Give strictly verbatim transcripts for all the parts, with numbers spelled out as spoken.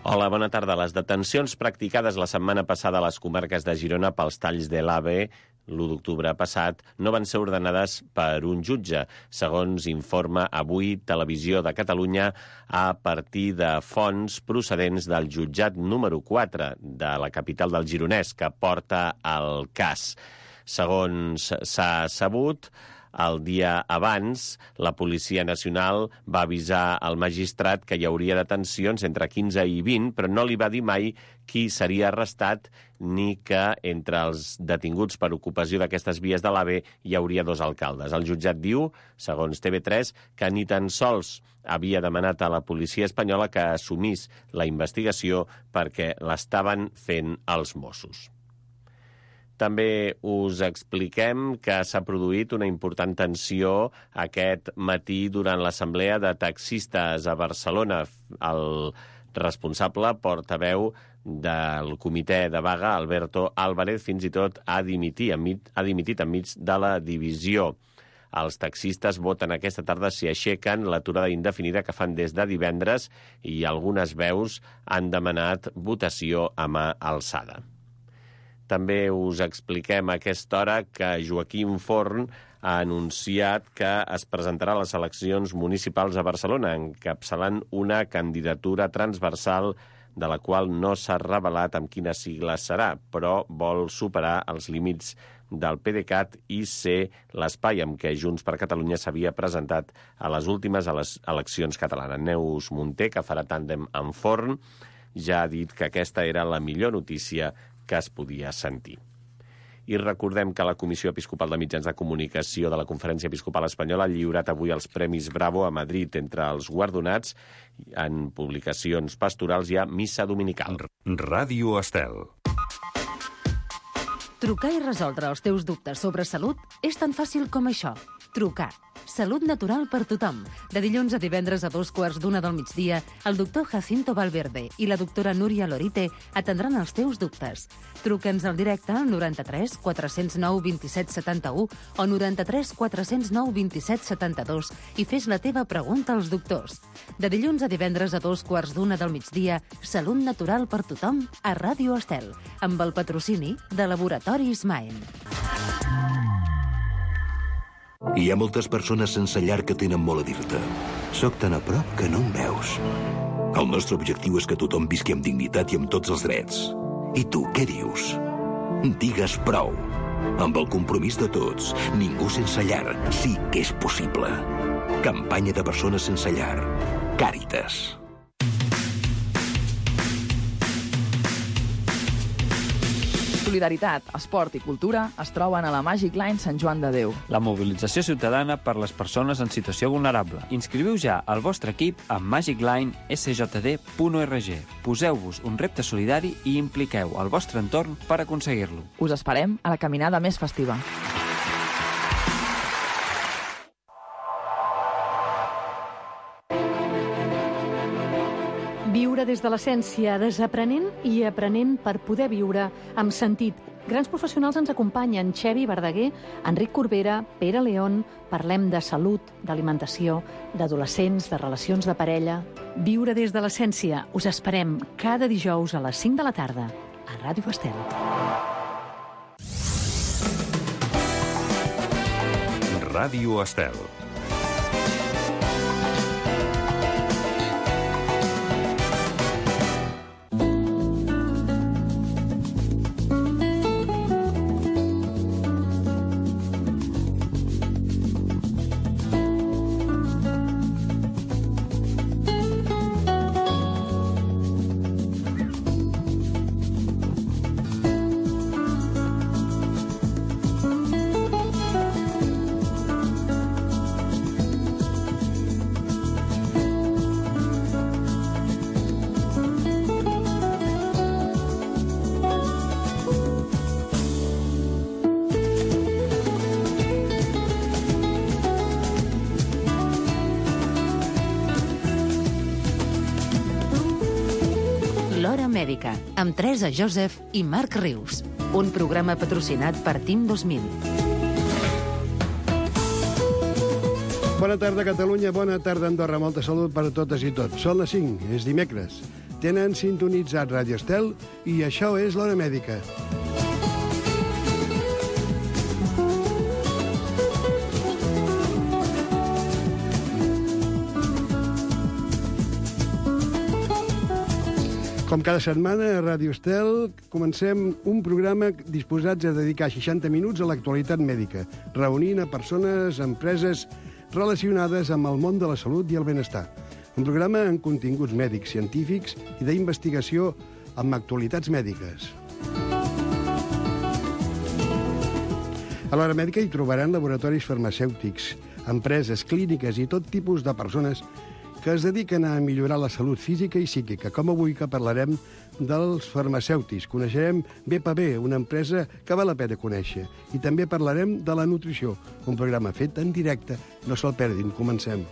Hola, bona tarda. Les detencions practicades la setmana passada a les comarques de Girona pels talls de l'AVE l'u d'octubre passat no van ser ordenades per un jutge, segons informa avui Televisió de Catalunya a partir de fonts procedents del jutjat número quatre de la capital del Gironès, que porta el cas. Segons s'ha sabut, el dia abans, la Policia Nacional va avisar al magistrat que hi hauria detencions entre quinze i vint, però no li va dir mai qui seria arrestat ni que entre els detinguts per ocupació d'aquestes vies de l'AVE hi hauria dos alcaldes. El jutjat diu, segons T V tres, que ni tan sols havia demanat a la policia espanyola que assumís la investigació perquè l'estaven fent els Mossos. També us expliquem que s'ha produït una important tensió aquest matí durant l'assemblea de taxistes a Barcelona. El responsable portaveu del comitè de vaga, Alberto Álvarez, fins i tot ha dimitit, ha dimitit enmig de la divisió. Els taxistes voten aquesta tarda si aixequen l'aturada indefinida que fan des de divendres i algunes veus han demanat votació a mà alçada. També us expliquem a aquesta hora que Joaquim Forn ha anunciat que es presentarà a les eleccions municipals a Barcelona, encapçalant una candidatura transversal de la qual no s'ha revelat amb quina sigla serà, però vol superar els límits del PDeCAT i ser l'espai amb què Junts per Catalunya s'havia presentat a les últimes a les eleccions catalanes. Neus Munté, que farà tàndem amb Forn, ja ha dit que aquesta era la millor notícia que es podia sentir. I recordem que la Comissió Episcopal de Mitjans de Comunicació de la Conferència Episcopal Espanyola ha lliurat avui els Premis Bravo a Madrid. Entre els guardonats en publicacions pastorals hi ha Missa Dominical. Ràdio Estel. Trucar i resoldre els teus dubtes sobre salut és tan fàcil com això. Trucar. Salut natural per tothom. De dilluns a divendres a dos quarts d'una del migdia, el doctor Jacinto Valverde i la doctora Núria Lorite atendran els teus dubtes. Truca'ns al directe al noranta-tres quatre zero nou vint set setanta-u o noranta-tres quatre zero nou vint set setanta-dos i fes la teva pregunta als doctors. De dilluns a divendres a dos quarts d'una del migdia, Salut natural per tothom a Ràdio Estel, amb el patrocini de Laboratoris Maen. Hi ha moltes persones sense llar que tenen molt a dir-te. Soc tan a prop que no em veus. El nostre objectiu és que tothom visqui amb dignitat i amb tots els drets. I tu, què dius? Digues prou. Amb el compromís de tots, ningú sense llar sí que és possible. Campanya de persones sense llar. Càritas. Solidaritat, esport i cultura es troben a la Magic Line Sant Joan de Déu. La mobilització ciutadana per les persones en situació vulnerable. Inscriviu ja el vostre equip a magic line s j d punt org. Poseu-vos un repte solidari i impliqueu el vostre entorn per aconseguir-lo. Us esperem a la caminada més festiva. Viure des de l'essència, desaprenent i aprenent per poder viure amb sentit. Grans professionals ens acompanyen: Xevi Verdaguer, Enric Corbera, Pere León. Parlem de salut, d'alimentació, d'adolescents, de relacions de parella. Viure des de l'essència. Us esperem cada dijous a les cinc de la tarda a Ràdio Estel. Ràdio Estel. Mèdica, amb Teresa Joseph i Marc Rius. Un programa patrocinat per Team dos mil. Bona tarda, Catalunya. Bona tarda, Andorra. Molta salut per a totes i tots. Són les cinc, és dimecres. Tenen sintonitzat Radio Estel i això és l'Hora Mèdica. Com cada setmana a Ràdio Estel comencem un programa disposats a dedicar seixanta minuts a l'actualitat mèdica, reunint a persones, empreses relacionades amb el món de la salut i el benestar. Un programa amb continguts mèdics, científics i d'investigació amb actualitats mèdiques. A l'Hora Mèdica hi trobaran laboratoris farmacèutics, empreses, clíniques i tot tipus de persones que es dediquen a millorar la salut física i psíquica, com avui que parlarem dels farmacèutics. Coneixerem B P B, una empresa que val la pena conèixer. I també parlarem de la nutrició, un programa fet en directe. No se'l perdin, comencem.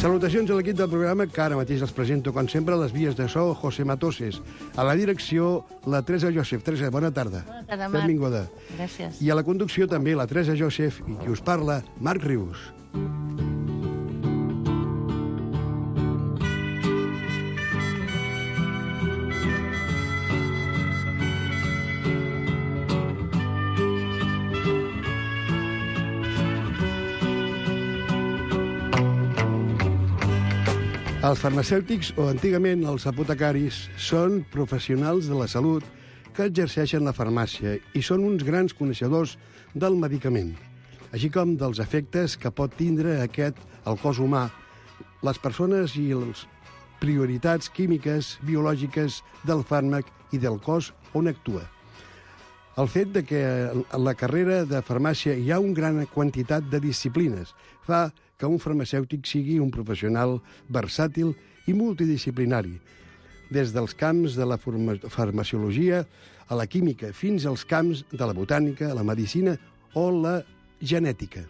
Salutacions a l'equip del programa, que ara mateix els presento, com sempre, a les vies de so, José Matoses. A la direcció, la Teresa Joseph. Teresa, bona tarda. Bona tarda, Marc. Benvinguda. Gràcies. I a la conducció també, la Teresa Joseph, i qui us parla, Marc Rius. Els farmacèutics, o antigament els apotecaris, són professionals de la salut que exerceixen la farmàcia i són uns grans coneixedors del medicament, així com dels efectes que pot tindre aquest al cos humà, les persones i les prioritats químiques, biològiques del fàrmac i del cos on actua. El fet de que en la carrera de farmàcia hi ha una gran quantitat de disciplines fa que un farmacèutic sigui un professional versàtil i multidisciplinari, des dels camps de la farmaciologia a la química fins als camps de la botànica, la medicina o la genètica.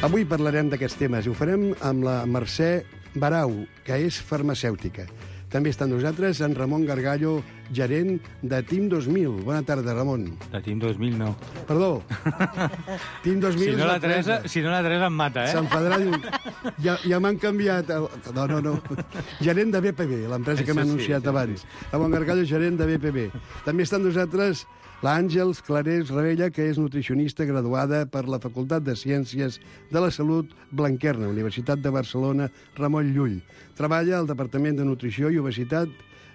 Avui parlarem d'aquests temes i ho farem amb la Mercè Barau, que és farmacèutica. També està amb nosaltres en Ramon Gargallo, gerent de Team dos mil. Bona tarda, Ramon. De Team dos mil no. Perdó. Team dos mil si no és la Teresa. Si no la Teresa em mata, eh? S'enfadarà, diu... Ja, ja m'han canviat... El... No, no, no. Gerent de B P B, l'empresa que m'ha anunciat sí, abans. Sí. Ramon Gargallo, gerent de B P B. També està amb nosaltres l'Àngels Clarés Ravella, que és nutricionista graduada per la Facultat de Ciències de la Salut Blanquerna, Universitat de Barcelona, Ramon Llull. Treballa al Departament de Nutrició i Obesitat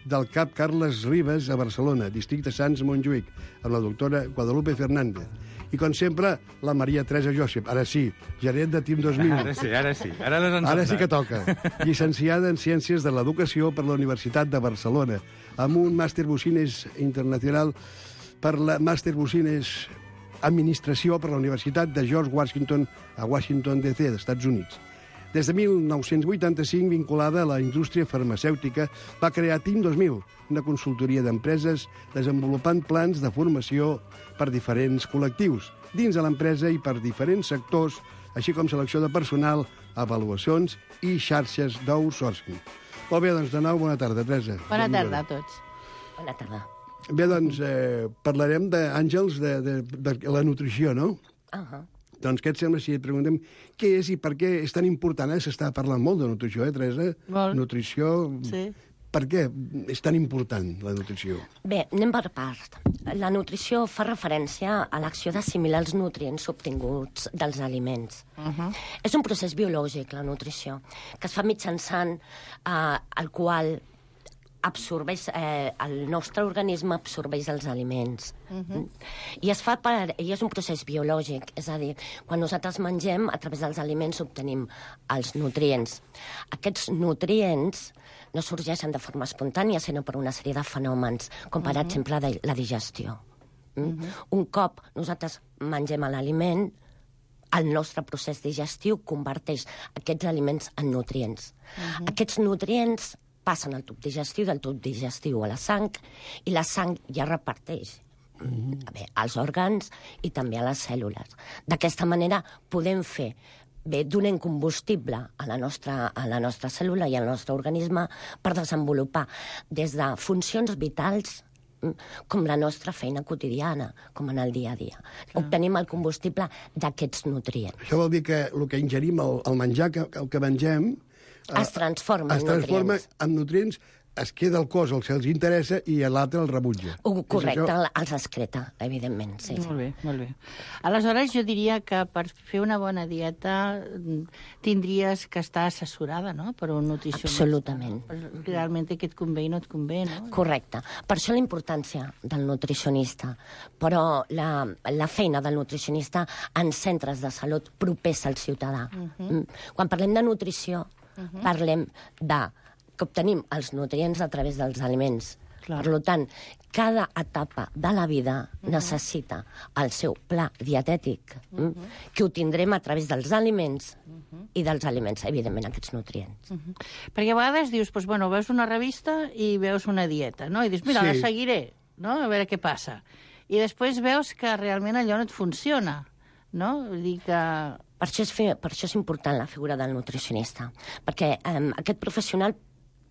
del C A P Carles Ribes a Barcelona, districte Sants Montjuïc, amb la doctora Guadalupe Fernández. I, com sempre, la Maria Teresa Joseph, ara sí, gerent de Team dos mil. Ara sí, ara sí. Ara, ara sí que toca. Llicenciada en Ciències de l'Educació per la Universitat de Barcelona, amb un màster Business Internacional per la Màster Business Administració per la Universitat de George Washington a Washington, D C, dels Estats Units. Des de mil nou-cents vuitanta-cinc, vinculada a la indústria farmacèutica, va crear Team dos mil, una consultoria d'empreses desenvolupant plans de formació per diferents col·lectius, dins de l'empresa i per diferents sectors, així com selecció de personal, avaluacions i xarxes d'outsourcing. Molt bé, doncs, de nou, bona tarda, Teresa. Bona tarda a tots. Bona tarda. Bé, doncs, eh, parlarem d'Àngels, de, de, de la nutrició, no? Uh -huh. Doncs què et sembla si et preguntem què és i per què és tan important? Eh? S'està parlant molt de nutrició, eh, Teresa? Molt. Nutrició... Sí. Per què és tan important, la nutrició? Bé, anem per part. La nutrició fa referència a l'acció d'assimilar els nutrients obtinguts dels aliments. Uh -huh. És un procés biològic, la nutrició, que es fa mitjançant eh, el qual absorbeix, eh, el nostre organisme absorbeix els aliments. Uh-huh. I es fa per, i és un procés biològic, és a dir, quan nosaltres mengem, a través dels aliments obtenim els nutrients. Aquests nutrients no sorgeixen de forma espontània, sinó per una sèrie de fenòmens, com per uh-huh. exemple la digestió. Mm? Uh-huh. Un cop nosaltres mengem l'aliment, el nostre procés digestiu converteix aquests aliments en nutrients. Uh-huh. Aquests nutrients passen al tub digestiu, del tub digestiu a la sang, i la sang ja reparteix mm. bé, als òrgans i també a les cèl·lules. D'aquesta manera podem fer, bé, donem combustible a la, nostra, a la nostra cèl·lula i al nostre organisme per desenvolupar des de funcions vitals com la nostra feina quotidiana, com en el dia a dia. Obtenim el combustible d'aquests nutrients. Això vol dir que el que ingerim, el, el menjar que, el que mengem... Es transforma es en transforma nutrients. en nutrients, es queda al cos el que els interessa i l'altre el rebutja. Uh, correcte, els excreta, evidentment, sí. Molt bé, molt bé. Aleshores, jo diria que per fer una bona dieta tindries que estar assessorada, no?, per un nutricionista. Absolutament. Realment aquest convé i no et convé, no? Correcte. Per això la importància del nutricionista. Però la, la feina del nutricionista en centres de salut propers al ciutadà. Uh-huh. Quan parlem de nutrició, uh-huh. parlem de que obtenim els nutrients a través dels aliments. Clar. Per tant, cada etapa de la vida uh-huh. necessita el seu pla dietètic, uh-huh. que ho tindrem a través dels aliments uh-huh. i dels aliments, evidentment, aquests nutrients. Uh-huh. Perquè a vegades dius, doncs, bueno, veus una revista i veus una dieta, no? I dius, mira, sí. la seguiré, no?, a veure què passa. I després veus que realment allò no et funciona, no? Vull dir que... Per això és, fe... per això és important la figura del nutricionista, perquè eh, aquest professional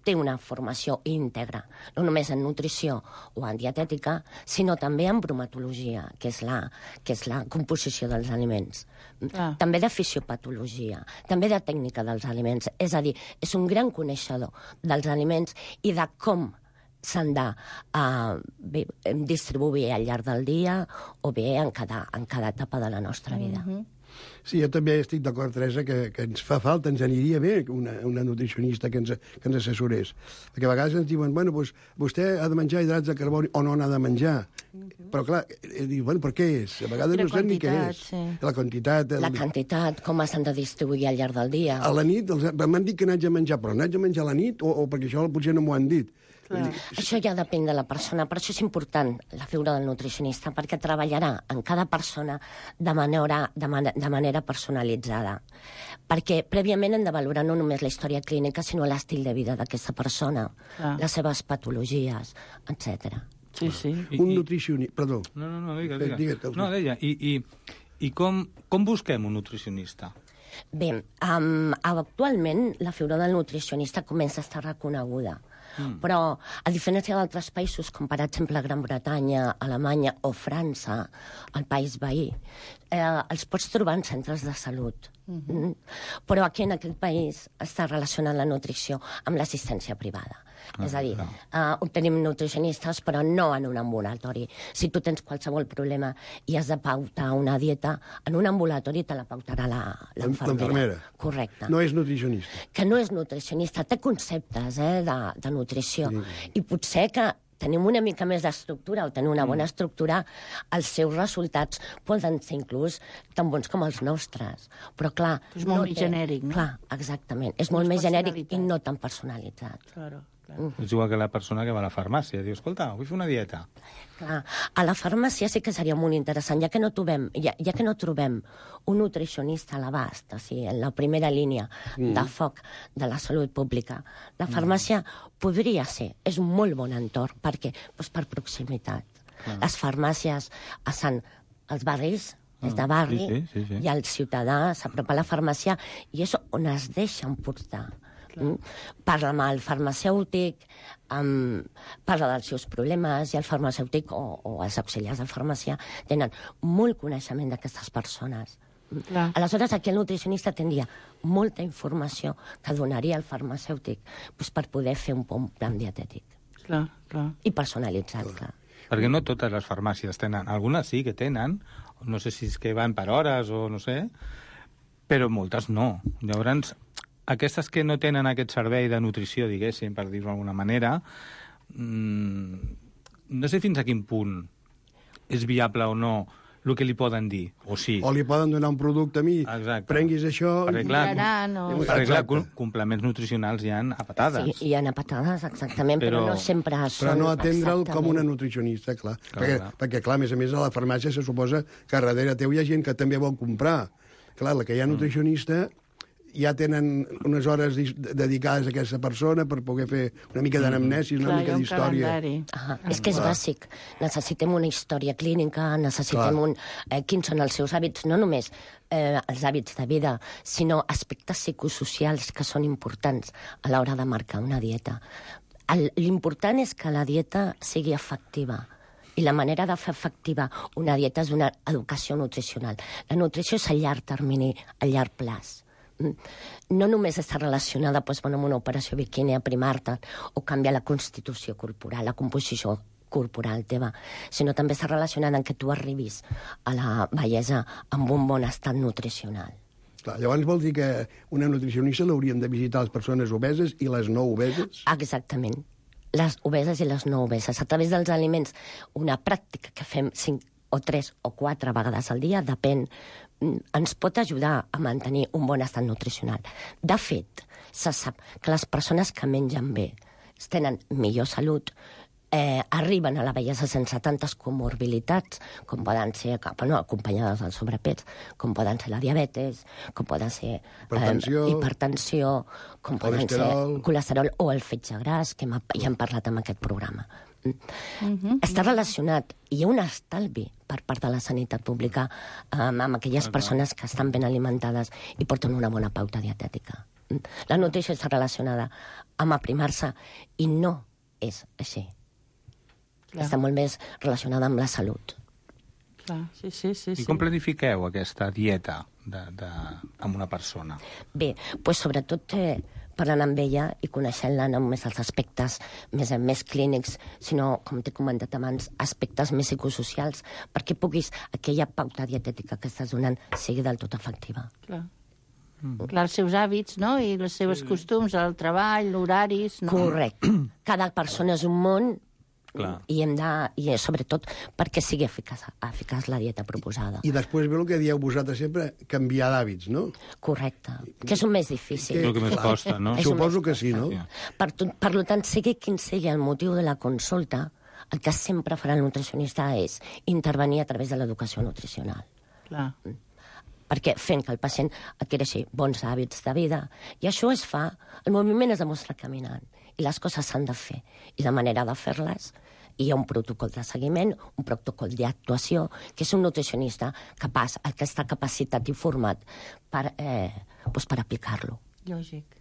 té una formació íntegra, no només en nutrició o en dietètica, sinó també en bromatologia, que és la, que és la composició dels aliments. Ah. També de fisiopatologia, també de tècnica dels aliments. És a dir, és un gran coneixedor dels aliments i de com s'han de uh, bé, distribuir al llarg del dia o bé en cada, en cada etapa de la nostra vida. Mm-hmm. Sí, jo també estic d'acord, Teresa, que, que ens fa falta, ens aniria bé una, una nutricionista que ens, que ens assessorés. Perquè a vegades ens diuen, bueno, doncs, vostè ha de menjar hidrats de carboni o no n'ha de menjar. Uh-huh. Però, clar, diu, bueno, per què és? A vegades no sap ni què és. Sí. La quantitat... El... La quantitat, com s'han de distribuir al llarg del dia. A la nit, els... m'han dit que n'haig de menjar, però n'haig de menjar a la nit o, o perquè això potser no m'ho han dit. Clar. Això ja depèn de la persona, per això és important la figura del nutricionista, perquè treballarà en cada persona de manera, de man de manera personalitzada. Perquè prèviament hem de valorar no només la història clínica, sinó l'estil de vida d'aquesta persona, Clar. les seves patologies, etcètera. Sí, sí. Un nutricionista... Perdó. No, no, no, digues, digues. digues. No, deia, i, i, i com, com busquem un nutricionista? Bé, um, actualment la figura del nutricionista comença a estar reconeguda. Mm. Però, a diferència d'altres països, com per exemple Gran Bretanya, Alemanya o França, el país veí, eh, els pots trobar en centres de salut. Mm-hmm. Mm? Però aquí en aquest país està relacionant la nutrició amb l'assistència privada. Ah, és a dir, uh, obtenim nutricionistes, però no en un ambulatori. Si tu tens qualsevol problema i has de pautar una dieta, en un ambulatori te la pautarà l'infermera. Correcte. No és nutricionista. Que no és nutricionista, té conceptes eh, de, de nutrició. Sí. I potser que tenim una mica més d'estructura o tenim una bona estructura, els seus resultats poden ser inclús tan bons com els nostres. Però, clar... És molt no més té... genèric, no? Clar, exactament. És molt més genèric i no tan personalitzat. Claro. Uh. És igual que la persona que va a la farmàcia. Diu, escolta, vull fer una dieta. Clar, a la farmàcia sí que seria molt interessant, ja que no trobem, ja, ja que no trobem un nutricionista a l'abast, o sigui, en la primera línia mm. de foc de la salut pública. La farmàcia mm. podria ser, és un molt bon entorn. Per què? Pues per proximitat. Clar. Les farmàcies estan als barris, des de barri, sí, sí, sí, sí. i el ciutadà s'apropa a la farmàcia i és on es deixen portar. Mm? Parla amb el farmacèutic, um, parla dels seus problemes, i el farmacèutic o, o els auxiliars de farmàcia tenen molt coneixement d'aquestes persones. Clar. Aleshores, aquí el nutricionista tindria molta informació que donaria al farmacèutic pues, per poder fer un bon plan dietètic. Clar, clar. I personalitzat, clar. Perquè no totes les farmàcies tenen. Algunes sí que tenen, no sé si és que van per hores o no sé, però moltes no. Llavors, aquestes que no tenen aquest servei de nutrició, diguéssim, per dir-ho d'alguna manera, mmm, no sé fins a quin punt és viable o no el que li poden dir, o sí. O li poden donar un producte a mi, Exacte. Prenguis això... Perquè, clar, no. perquè, clar complements nutricionals hi ha a patades. Sí, hi ha a patades, exactament, però, però no sempre són... Però no atendre'l com una nutricionista, clar. clar, perquè, clar. perquè, clar, a més a més, a la farmàcia se suposa que darrere teu hi ha gent que també vol comprar. Clar, la que hi ha nutricionista... Mm. ja tenen unes hores dedicades a aquesta persona per poder fer una mica d'anamnesi, una Clar, mica d'història. Ah, és que és bàsic. Necessitem una història clínica, necessitem Clar. un... Eh, quins són els seus hàbits, no només eh, els hàbits de vida, sinó aspectes psicosocials que són importants a l'hora de marcar una dieta. L'important és que la dieta sigui efectiva. I la manera de fer efectiva una dieta és una educació nutricional. La nutrició és a llarg termini, a llarg plaç. No només està relacionada doncs, amb una operació biquini, aprimar-te, o canviar la constitució corporal, la composició corporal teva, sinó també està relacionada amb que tu arribis a la bellesa amb un bon estat nutricional. Clar, llavors vol dir que una nutricionista l'haurien de visitar les persones obeses i les no obeses? Exactament. Les obeses i les no obeses. A través dels aliments, una pràctica que fem cinc o tres o quatre vegades al dia, depèn, ens pot ajudar a mantenir un bon estat nutricional. De fet, se sap que les persones que mengen bé tenen millor salut, eh, arriben a la bellesa sense tantes comorbilitats, com poden ser, bueno, acompanyades del sobrepès, com poden ser la diabetes, com poden ser hipertensió, eh, hipertensió com poden ser colesterol o el fetge gras, que hem, ja hem parlat en aquest programa. Mm-hmm. Està relacionat, i hi ha un estalvi per part de la sanitat pública um, amb aquelles persones que estan ben alimentades i porten una bona pauta dietètica. La nutrició està relacionada amb aprimar-se i no és així. Clar. Està molt més relacionada amb la salut. Clar, sí, sí, sí. I com planifiqueu aquesta dieta de, de, amb una persona? Bé, doncs sobretot eh, parlant amb ella i coneixent-la no només els aspectes més, més clínics, sinó, com t'he comentat abans, aspectes més psicosocials, perquè puguis, aquella pauta dietètica que estàs donant sigui del tot efectiva. Clar. Mm. Clar, els seus hàbits, no?, i els seus sí. costums, el treball, l'horaris... No? Correcte. Cada persona és un món. Clar. I hem de, i sobretot perquè sigui eficaç, eficaç la dieta proposada. I després ve el que dieu vosaltres sempre, canviar d'hàbits, no? Correcte, que és el més difícil. Que, el que més costa, no? Suposo que sí, no? Per, per tant, sigui quin sigui el motiu de la consulta, el que sempre farà el nutricionista és intervenir a través de l'educació nutricional. Clar. Perquè fent que el pacient adquireixi bons hàbits de vida, i això es fa, el moviment es demostra caminant, i les coses s'han de fer, i la manera de fer-les, hi ha un protocol de seguiment, un protocol d'actuació, que és un nutricionista capaç, el que està capacitat i format per, eh, doncs per aplicar-lo. Lògic.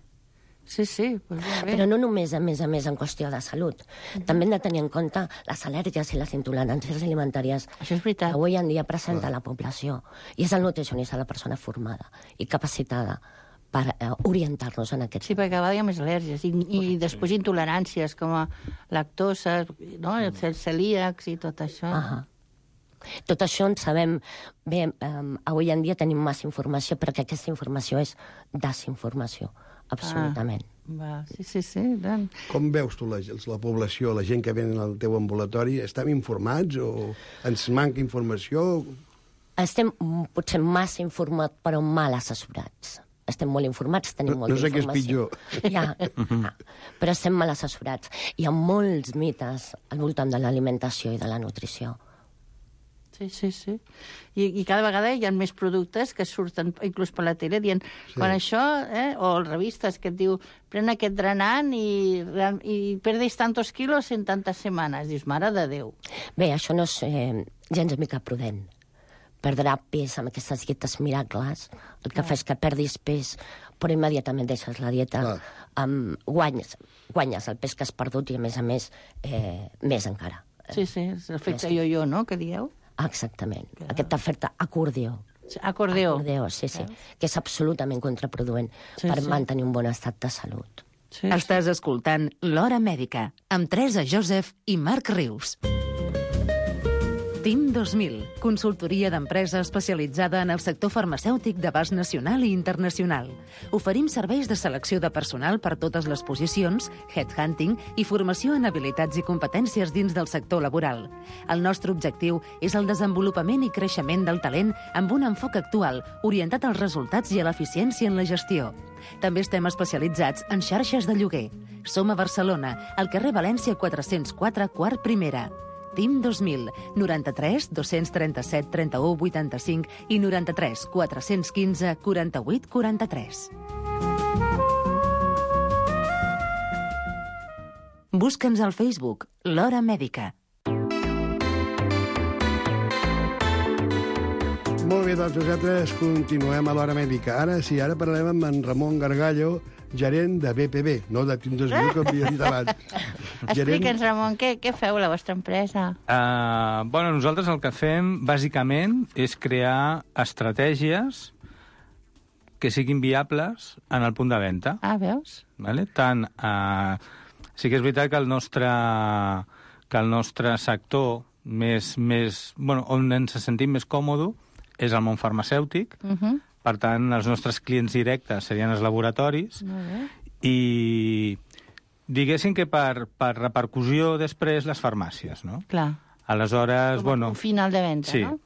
Sí, sí. Pues bé. Però no només, a més a més, en qüestió de salut. Mm-hmm. També hem de tenir en compte les al·lèrgies i les intoleràncies alimentàries Això és veritat. que avui en dia presenta la població. I és el nutricionista la persona formada i capacitada per eh, orientar-nos en aquest... Sí, perquè cada vegada hi ha més al·lèrgies i, i després intoleràncies com a lactosa, no? Els celíacs i tot això. Uh-huh. Tot això en sabem... Bé, um, avui en dia tenim massa informació, perquè aquesta informació és desinformació, absolutament. Ah, va, sí, sí, sí. Tant. Com veus tu la, la població, la gent que ven al teu ambulatori? Estem informats o ens manca informació? Estem potser massa informats, però mal assessorats. Estem molt informats, tenim no, molta no sé informació. Què és pitjor. Ja, ja, però estem mal assessorats. Hi ha molts mites al voltant de l'alimentació i de la nutrició. Sí, sí, sí. I, I cada vegada hi ha més productes que surten, inclús per la tele, dient, sí. quan això, eh, o revistes que et diu, pren aquest drenant i, i perdis tantos quilos en tantes setmanes. Dius, mare de Déu. Bé, això no és eh, gens mica prudent. Perdrà pes amb aquestes dietes miracles, el que ah. fa és que perdis pes, però immediatament deixes la dieta, ah. amb, guanyes, guanyes el pes que has perdut i, a més a més, eh, més encara. Sí, sí, és l'efecte yo-yo, no?, que dieu? Exactament, ah. aquest efecte acordió. Acordeó. Acordeó, sí, sí, Veus? Que és absolutament contraproduent sí, per sí. mantenir un bon estat de salut. Sí, Estàs sí. escoltant L'Hora Mèdica, amb Teresa Joseph i Marc Rius. TIM dos mil, consultoria d'empresa especialitzada en el sector farmacèutic d'abast nacional i internacional. Oferim serveis de selecció de personal per totes les posicions, headhunting i formació en habilitats i competències dins del sector laboral. El nostre objectiu és el desenvolupament i creixement del talent amb un enfoc actual, orientat als resultats i a l'eficiència en la gestió. També estem especialitzats en xarxes de lloguer. Som a Barcelona, al carrer València quatre-cents quatre, quart primera. TIM dos mil, noranta-tres dos-cents trenta-set trenta-u vuitanta-cinc i noranta-tres quatre-cents quinze quaranta-vuit quaranta-tres. Busca'ns al Facebook, L'Hora Mèdica. Molt bé, doncs nosaltres continuem a l'Hora Mèdica. Ara sí, ara parlem amb en Ramon Gargallo, gerent de B P B, no de Tindos Viu, que havia dit abans. Explica'ns, Ramon, què, què feu a la vostra empresa? Uh, bueno, nosaltres el que fem, bàsicament, és crear estratègies que siguin viables en el punt de venda. Ah, veus? Vale? Tant, uh, sí que és veritat que el nostre, que el nostre sector més, més, bueno, on ens sentim més còmode és el món farmacèutic. Uh -huh. Per tant, els nostres clients directes serien els laboratoris. Molt bé. I diguéssim que per, per repercussió després les farmàcies, no? Clar. Aleshores, Com bueno... un final de venda, sí. no?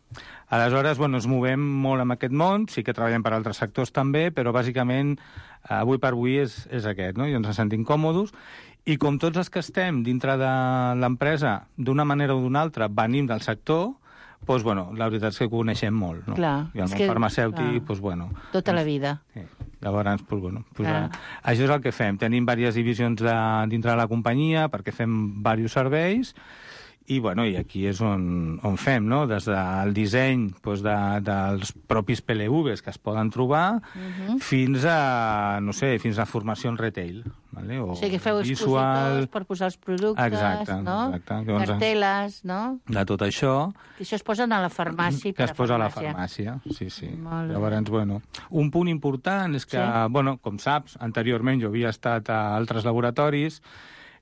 Aleshores, bueno, ens movem molt en aquest món, sí que treballem per altres sectors també, però bàsicament avui per avui és, és aquest, no? I ens sentim còmodes. I com tots els que estem dintre de l'empresa, d'una manera o d'una altra, venim del sector, doncs, bueno, la veritat és que coneixem molt, no? Clar, I el món que, farmacèutic, clar. doncs, bueno... Tota la vida. Sí. Llavors, doncs, bueno, doncs, a, això és el que fem. Tenim diverses divisions de, dintre de la companyia perquè fem diversos serveis i, bueno, i aquí és on, on fem, no? Des del disseny doncs, de, dels propis P L Vs que es poden trobar uh-huh. fins a, no sé, fins a formació en retail. Vale? O, o sigui, que feu visual... expositors per posar els productes, exacte, no? Exacte. Carteles, no? De tot això... Que això es posen a la farmàcia. Que es posa a la farmàcia, sí, sí. Llavors, bueno, un punt important és que, sí. bueno, com saps, anteriorment jo havia estat a altres laboratoris.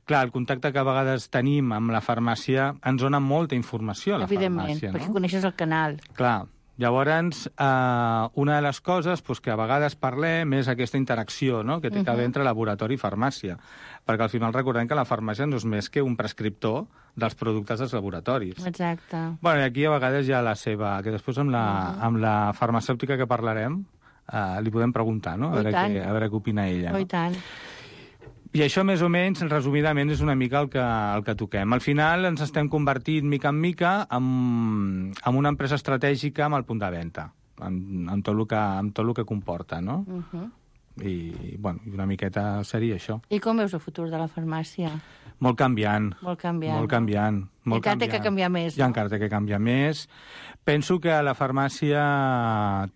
Clar, el contacte que a vegades tenim amb la farmàcia ens dona molta informació a la Evidentment, farmàcia, no? perquè coneixes el canal. Clar. Llavors, eh, una de les coses pues, que a vegades parlem és aquesta interacció, no?, que té que haver entre laboratori i farmàcia. Perquè al final recordem que la farmàcia no és més que un prescriptor dels productes dels laboratoris. Exacte. Bueno, i aquí a vegades hi ha la seva... que després amb la, uh-huh. amb la farmacèutica que parlarem eh, li podem preguntar, no?, a veure, què, a veure què opina ella. Oh, no? I tant. I això, més o menys, resumidament, és una mica el que, el que toquem. Al final ens estem convertint, mica en mica, en, en una empresa estratègica amb el punt de venda, amb, amb, tot, el que, amb tot el que comporta, no? Uh-huh. I, bueno, una miqueta seria això. I com veus el futur de la farmàcia? Molt canviant. Molt canviant. Molt canviant. I encara té que canviar més, no? I encara té que canviar més. Penso que la farmàcia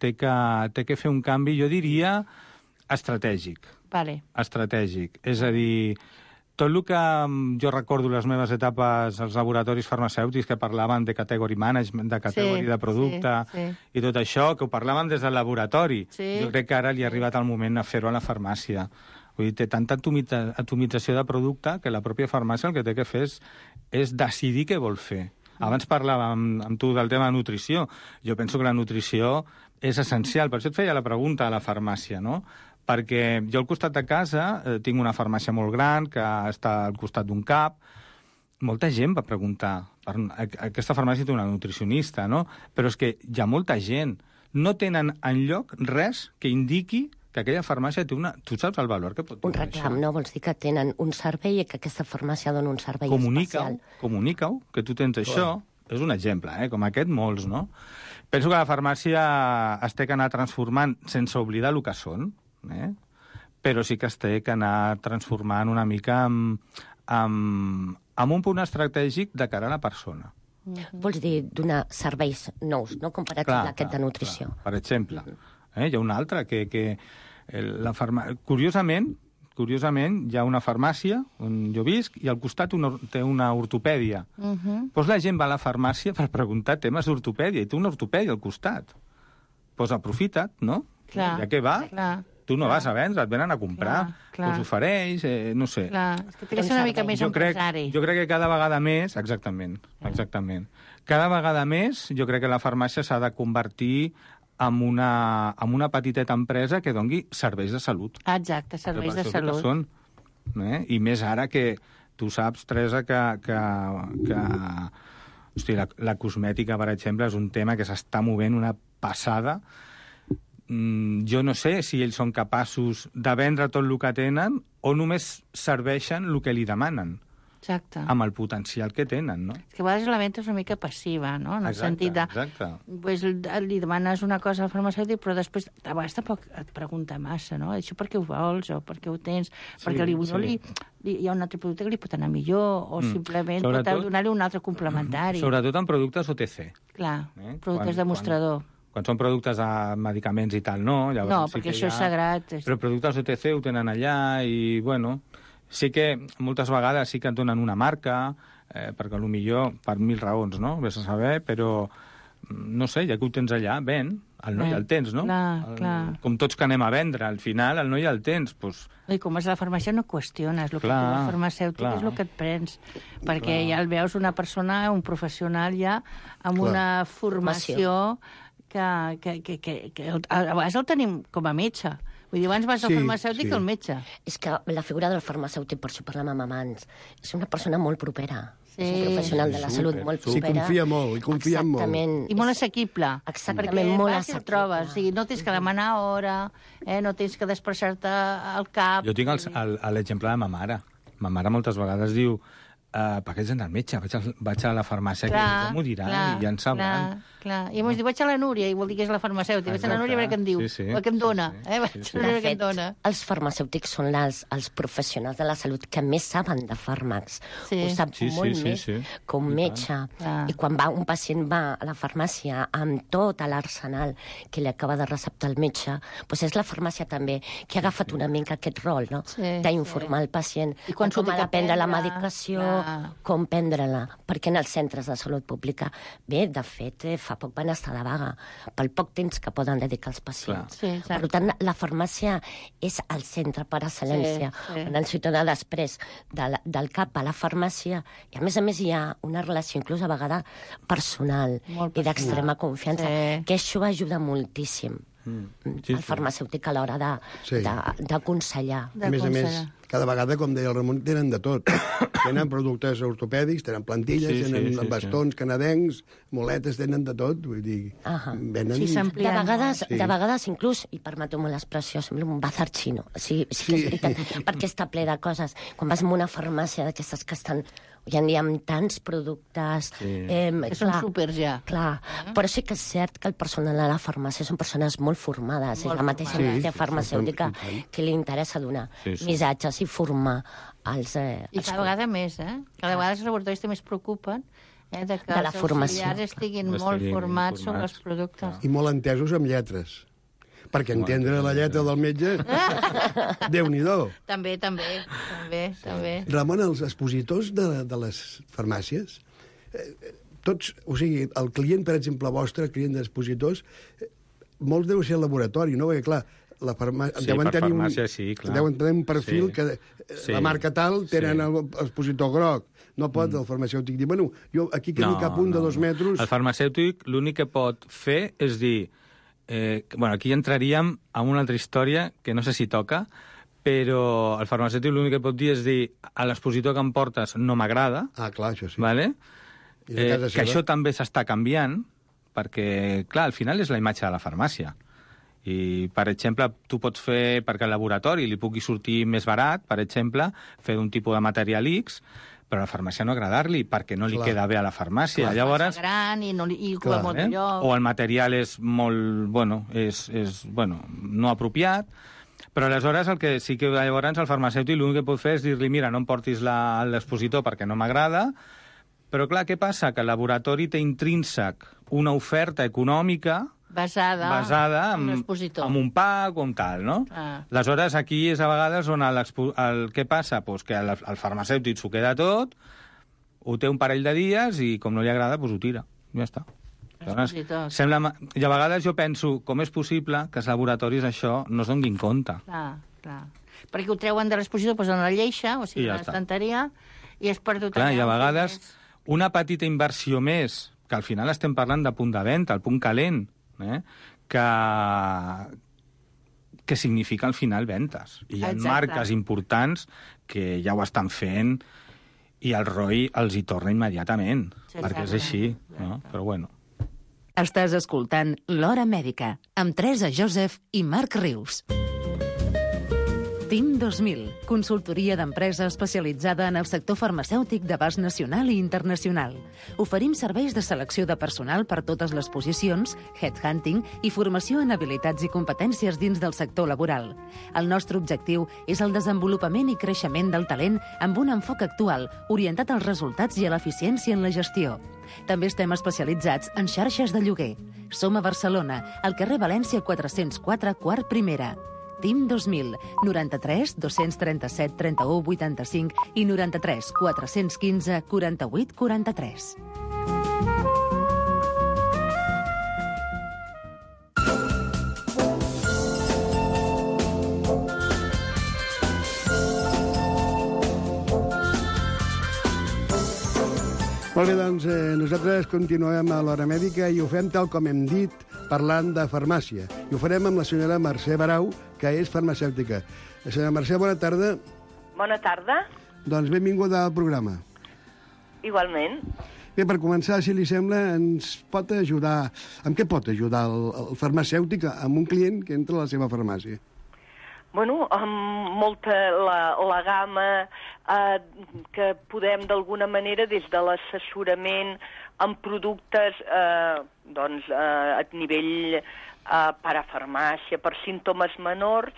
té que, té que fer un canvi, jo diria, estratègic. Vale. Estratègic. És a dir, tot el que jo recordo les meves etapes als laboratoris farmacèutics que parlaven de category management, de categoria sí, de producte sí, sí. i tot això, que ho parlaven des del laboratori. Sí. Jo crec que ara li ha arribat el moment de fer-ho a la farmàcia. Vull dir, té tanta atomització de producte que la pròpia farmàcia el que té que fer és, és decidir què vol fer. Abans parlàvem amb, amb tu del tema de nutrició. Jo penso que la nutrició és essencial. Per això et feia la pregunta a la farmàcia, no? Perquè jo al costat de casa eh, tinc una farmàcia molt gran que està al costat d'un cap. Molta gent va preguntar. Per, aquesta farmàcia té una nutricionista, no? Però és que hi ha molta gent. No tenen enlloc res que indiqui que aquella farmàcia té una... Tu saps el valor que pot tenir un reclam, això? No? Vols dir que tenen un servei i que aquesta farmàcia dona un servei comunica-ho, especial. Comunica-ho, que tu tens això. És un exemple, eh? Com aquest, molts, no? Penso que la farmàcia es té que anar transformant sense oblidar el que són, eh? Però sí que es té que anar transformant una mica amb, amb, amb un punt estratègic de cara a la persona. Mm-hmm. Vols dir donar serveis nous, no? Com per exemple aquest de nutrició. Clar. Per exemple, eh? Hi ha un altre que... que la farma... Curiosament, curiosament, hi ha una farmàcia on jo visc i al costat una, té una ortopèdia. Uh-huh. Doncs la gent va a la farmàcia per preguntar temes d'ortopèdia i té una ortopèdia al costat. Doncs aprofita't, no? Clar, ja que va, clar, tu no clar. vas a vendre, et venen a comprar. Doncs ofereix, eh, no sé. Clar, és que té que ser una mica més jo empresari. Crec, jo crec que cada vegada més... Exactament, exactament. Cada vegada més jo crec que la farmàcia s'ha de convertir en una, en una petiteta empresa que doni serveis de salut. Exacte, serveis de salut. Són, eh? I més ara que tu saps, Teresa, que, que, que hosti, la, la cosmètica, per exemple, és un tema que s'està movent una passada. Mm, jo no sé si ells són capaços de vendre tot el que tenen o només serveixen el que li demanen. Exacte. Amb el potencial que tenen, no? És que a vegades la venda és una mica passiva, no? En el exacte, sentit de... Exacte. Pues, li demanes una cosa al farmacèutic, però després a vegades tampoc et pregunta massa, no? Això per què ho vols o per què ho tens? Sí, perquè li, sí. no li, li, hi ha un altre producte que li pot anar millor o mm. simplement Sobretot, pot donar-li un altre complementari. Sobretot en productes O T C. Clar, eh? productes quan, de mostrador. Quan, Quan són productes de medicaments i tal, no. Llavors, No, sí perquè que això hi ha... és sagrat. És... Però productes O T C ho tenen allà i, bueno, sí que moltes vegades sí que et donen una marca, eh, perquè potser per mil raons, no? Ves a saber, però no sé, ja que ho tens allà, ven, el noi el tens, no? Clar, el, clar. Com tots que anem a vendre, al final el noi el tens, doncs... I com vas a la farmàcia no qüestiones, el que Clar, et diu el farmàceutic clar. és el que et prens, perquè Clar. ja el veus una persona, un professional ja, amb Clar. una formació que, que, que, que, que a vegades el tenim com a metge. Vull dir, abans vas al Sí, farmacèutic sí. que al metge. És que la figura del farmacèutic, per això parlem amb amants, és una persona molt propera. Sí. És un professional de la Sí, salut super. molt S'hi propera. confia molt, hi confia molt. Exactament. I molt assequible. Exactament, perquè molt vas i el assequible. trobes. O sigui, no tens que demanar hora, eh? No tens que desplaçar-te al cap. Jo tinc el- el- l'exemple de ma mare. Ma mare moltes vegades diu uh, per què ets anar al metge? Vaig a, vaig a la farmàcia, que ja morirà i ja en sabran. Clar, clar. I llavors diu, vaig a la Núria, i vol dir que és la farmacèutica. Vaig a la Núria a veure què em diu, Sí, sí. o què em dona. Sí, sí. Eh? Vaig Sí, sí. a veure De què em fet, dona. els farmacèutics són les, els professionals de la salut que més saben de fàrmacs. Sí. Ho sap Sí, sí, molt sí, més sí. que un I metge. Ah. I quan va, un pacient va a la farmàcia amb tot l'arsenal que li acaba de receptar el metge, doncs és la farmàcia també que ha agafat una mica aquest rol, no? Sí, d'informar sí. el pacient I quan de com s'ho té ha que de prendre la prendre, medicació, clar. com prendre-la. Perquè en els centres de salut pública, bé, de fet, eh, fa poc van estar de vaga, pel poc temps que poden dedicar als pacients. Clar. Sí, exacte. Per tant, la farmàcia és el centre per excel·lència. Sí, sí. On el ciutadà després de la, del cap a la farmàcia, i a més a més hi ha una relació inclús a vegades personal Molt i d'extrema personal. confiança, Sí. que això ajuda moltíssim. Mm. Sí, el farmacèutic a l'hora de, Sí. de, d'aconsellar. De A més a més, aconsellar. cada vegada, com deia el Ramon, tenen de tot. Tenen productes ortopèdics, tenen plantilles, Sí, sí, tenen sí, bastons canadencs, muletes, tenen de tot. Vull dir, Ahà. venen... Sí, De s'amplien. vegades, Sí. de vegades inclús, i permeto-me l'expressió, sembla un bazar xino. Sí, sí que és Sí. veritat, perquè està ple de coses. Quan vas a una farmàcia d'aquestes que estan hoy en dia amb tants productes... Sí. Eh, Que són súpers ja. Clar, però sí que és cert que el personal a la farmàcia són persones molt formades. Molt és la mateixa formades. indústria Sí, farmacèutica i tant. que li interessa donar Sí, sí. missatges i formar els... Eh, I els cada vegada més, eh? Cada vegada els laboratoris també es preocupen eh, de que De la els formació, auxiliars estiguin clar. molt Estiguin formats sobre formats, els productes. I molt entesos amb lletres. Perquè entendre la lletra del metge, Déu-n'hi-do. També, també, també, també. Ramon, els expositors de, de les farmàcies, eh, tots, o sigui, el client, per exemple, vostre, el client d'expositors, eh, molts deu ser el laboratori, no? Perquè, clar, la farmà... Sí, deuen per tenir un, farmàcia sí, clar. Deuen tenir un perfil Sí. que eh, Sí. la marca tal tenen Sí. el expositor groc. No pot el farmacèutic dir, bueno, jo aquí que no, cap un de dos metres... El farmacèutic l'únic que pot fer és dir... Eh, que- bueno, aquí entraríem en una altra història que no sé si toca, però el farmacèutic l'únic que pot dir és dir a l'expositor que em portes no m'agrada, Ah, clar, això sí. vale? I de eh, casa que seva? això també s'està canviant, perquè, clar, al final és la imatge de la farmàcia. I, per exemple, tu pots fer, perquè al laboratori li pugui sortir més barat, per exemple, fer un tipus de material X, però a la farmàcia no agradar-li, perquè no li Clar. queda bé a la farmàcia. Clar. Llavors, Massa gran i, no, li- i Clar, ocupa molt eh? de lloc. o el material és molt, bueno, és, és bueno, no apropiat, però aleshores el que sí que llavors el farmacèutic l'únic que pot fer és dir-li mira, no em portis la- l'expositor perquè no m'agrada, però clar, què passa? Que el laboratori té intrínsec una oferta econòmica Basada, basada en en, l'expositor. en un pack o en tal, no? Ah. Aleshores, aquí és a vegades on l'expo- el, què passa? Pues que el, el farmacèutic s'ho queda tot, ho té un parell de dies i com no li agrada, pues ho tira. Ja està. Llavors, L'expositor. sembla, ma- I a vegades jo penso, com és possible que els laboratoris això no es donguin compte? Clar, clar. Perquè ho treuen de l'expositor, posen a la lleixa, o sigui, I ja a està. l'estanteria, i és perdut Clar, allà. i a vegades És- una petita inversió més, que al final estem parlant de punt de venda, el punt calent, eh? que, que significa al final ventes. I hi ha Exacte. marques importants que ja ho estan fent i el R O I els hi torna immediatament, Sí, perquè és exacte. així. No? Però bueno. Estàs escoltant L'Hora Mèdica, amb Teresa Joseph i Marc Rius. Team dos mil, consultoria d'empresa especialitzada en el sector farmacèutic d'abast nacional i internacional. Oferim serveis de selecció de personal per totes les posicions, headhunting i formació en habilitats i competències dins del sector laboral. El nostre objectiu és el desenvolupament i creixement del talent amb un enfoc actual, orientat als resultats i a l'eficiència en la gestió. També estem especialitzats en xarxes de lloguer. Som a Barcelona, al carrer València quatre-cents quatre, quart primera. T I M dos mil, noranta-tres dos-cents trenta-set trenta-u vuitanta-cinc i noranta-tres quatre-cents quinze quaranta-vuit quaranta-tres. Molt bé, doncs eh, nosaltres continuem a l'Hora Mèdica i ho fem tal com hem dit, parlant de farmàcia. I ho farem amb la senyora Mercè Barau, que és farmacèutica. Senyora Mercè, bona tarda. Bona tarda. Doncs benvinguda al programa. Igualment. Bé, per començar, si li sembla, ens pot ajudar... Amb què pot ajudar el, el farmacèutic amb un client que entra a la seva farmàcia? Bueno, amb molta la, la gamma eh, que podem d'alguna manera des de l'assessorament amb productes eh, doncs, eh, a nivell eh, parafarmàcia per símptomes menors,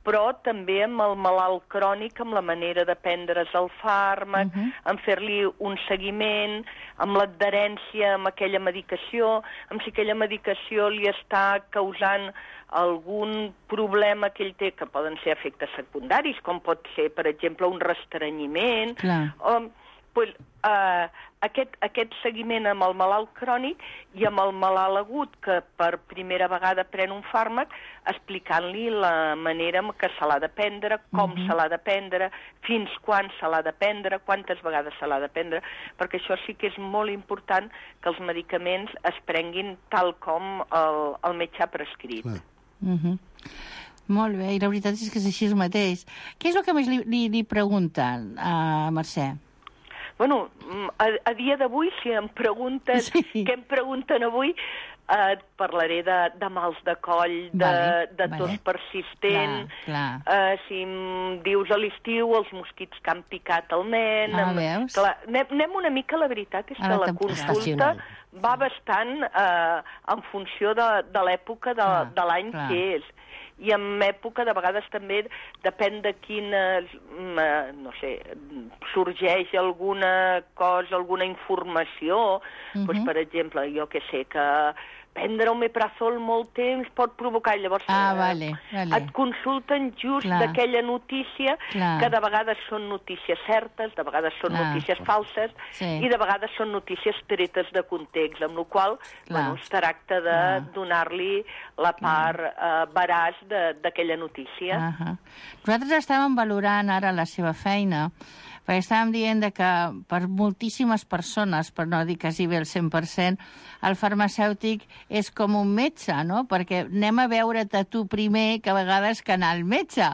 però també amb el malalt crònic, amb la manera de prendre's el fàrmac, uh-huh. amb fer-li un seguiment, amb l'adherència amb aquella medicació, amb si aquella medicació li està causant algun problema que ell té, que poden ser efectes secundaris, com pot ser, per exemple, un restrenyiment, o, pues, eh, aquest, aquest seguiment amb el malalt crònic i amb el malalt agut, que per primera vegada pren un fàrmac, explicant-li la manera en què se l'ha de prendre, com uh-huh. se l'ha de prendre, fins quan se l'ha de prendre, quantes vegades se l'ha de prendre, perquè això sí que és molt important que els medicaments es prenguin tal com el, el metge ha prescrit. Clar. Uh-huh. Molt bé, i la veritat és que és així mateix. Què és el que més li, li, li pregunten a Mercè? Bueno, a, a dia d'avui, si em preguntes sí. què em pregunten avui, eh, parlaré de, de mals de coll, de, vale, de tos vale. persistent, clar, clar. Eh, si em dius a l'estiu els mosquits que han picat el nen... Ah, amb, veus? Clar, anem, anem una mica, la veritat és que Ara la consulta va bastant eh, en funció de, de l'època de, ah, de l'any que és. I en època, de vegades també, depèn de quina, no sé, sorgeix alguna cosa, alguna informació, uh-huh. doncs, per exemple, jo que sé, que prendre omeprazol molt temps pot provocar, llavors ah, vale, vale. et consulten just Clar. d'aquella notícia, Clar. que de vegades són notícies certes, de vegades són Clar. notícies falses, sí. i de vegades són notícies tretes de context, amb la qual bueno, es tracta de Clar. donar-li la part eh, veraç d'aquella notícia. Uh -huh. Nosaltres estàvem valorant ara la seva feina, perquè estàvem dient de que per moltíssimes persones, per no dir quasi bé el cent per cent, el farmacèutic és com un metge, no? Perquè anem a veure't a tu primer que a vegades que anar al metge.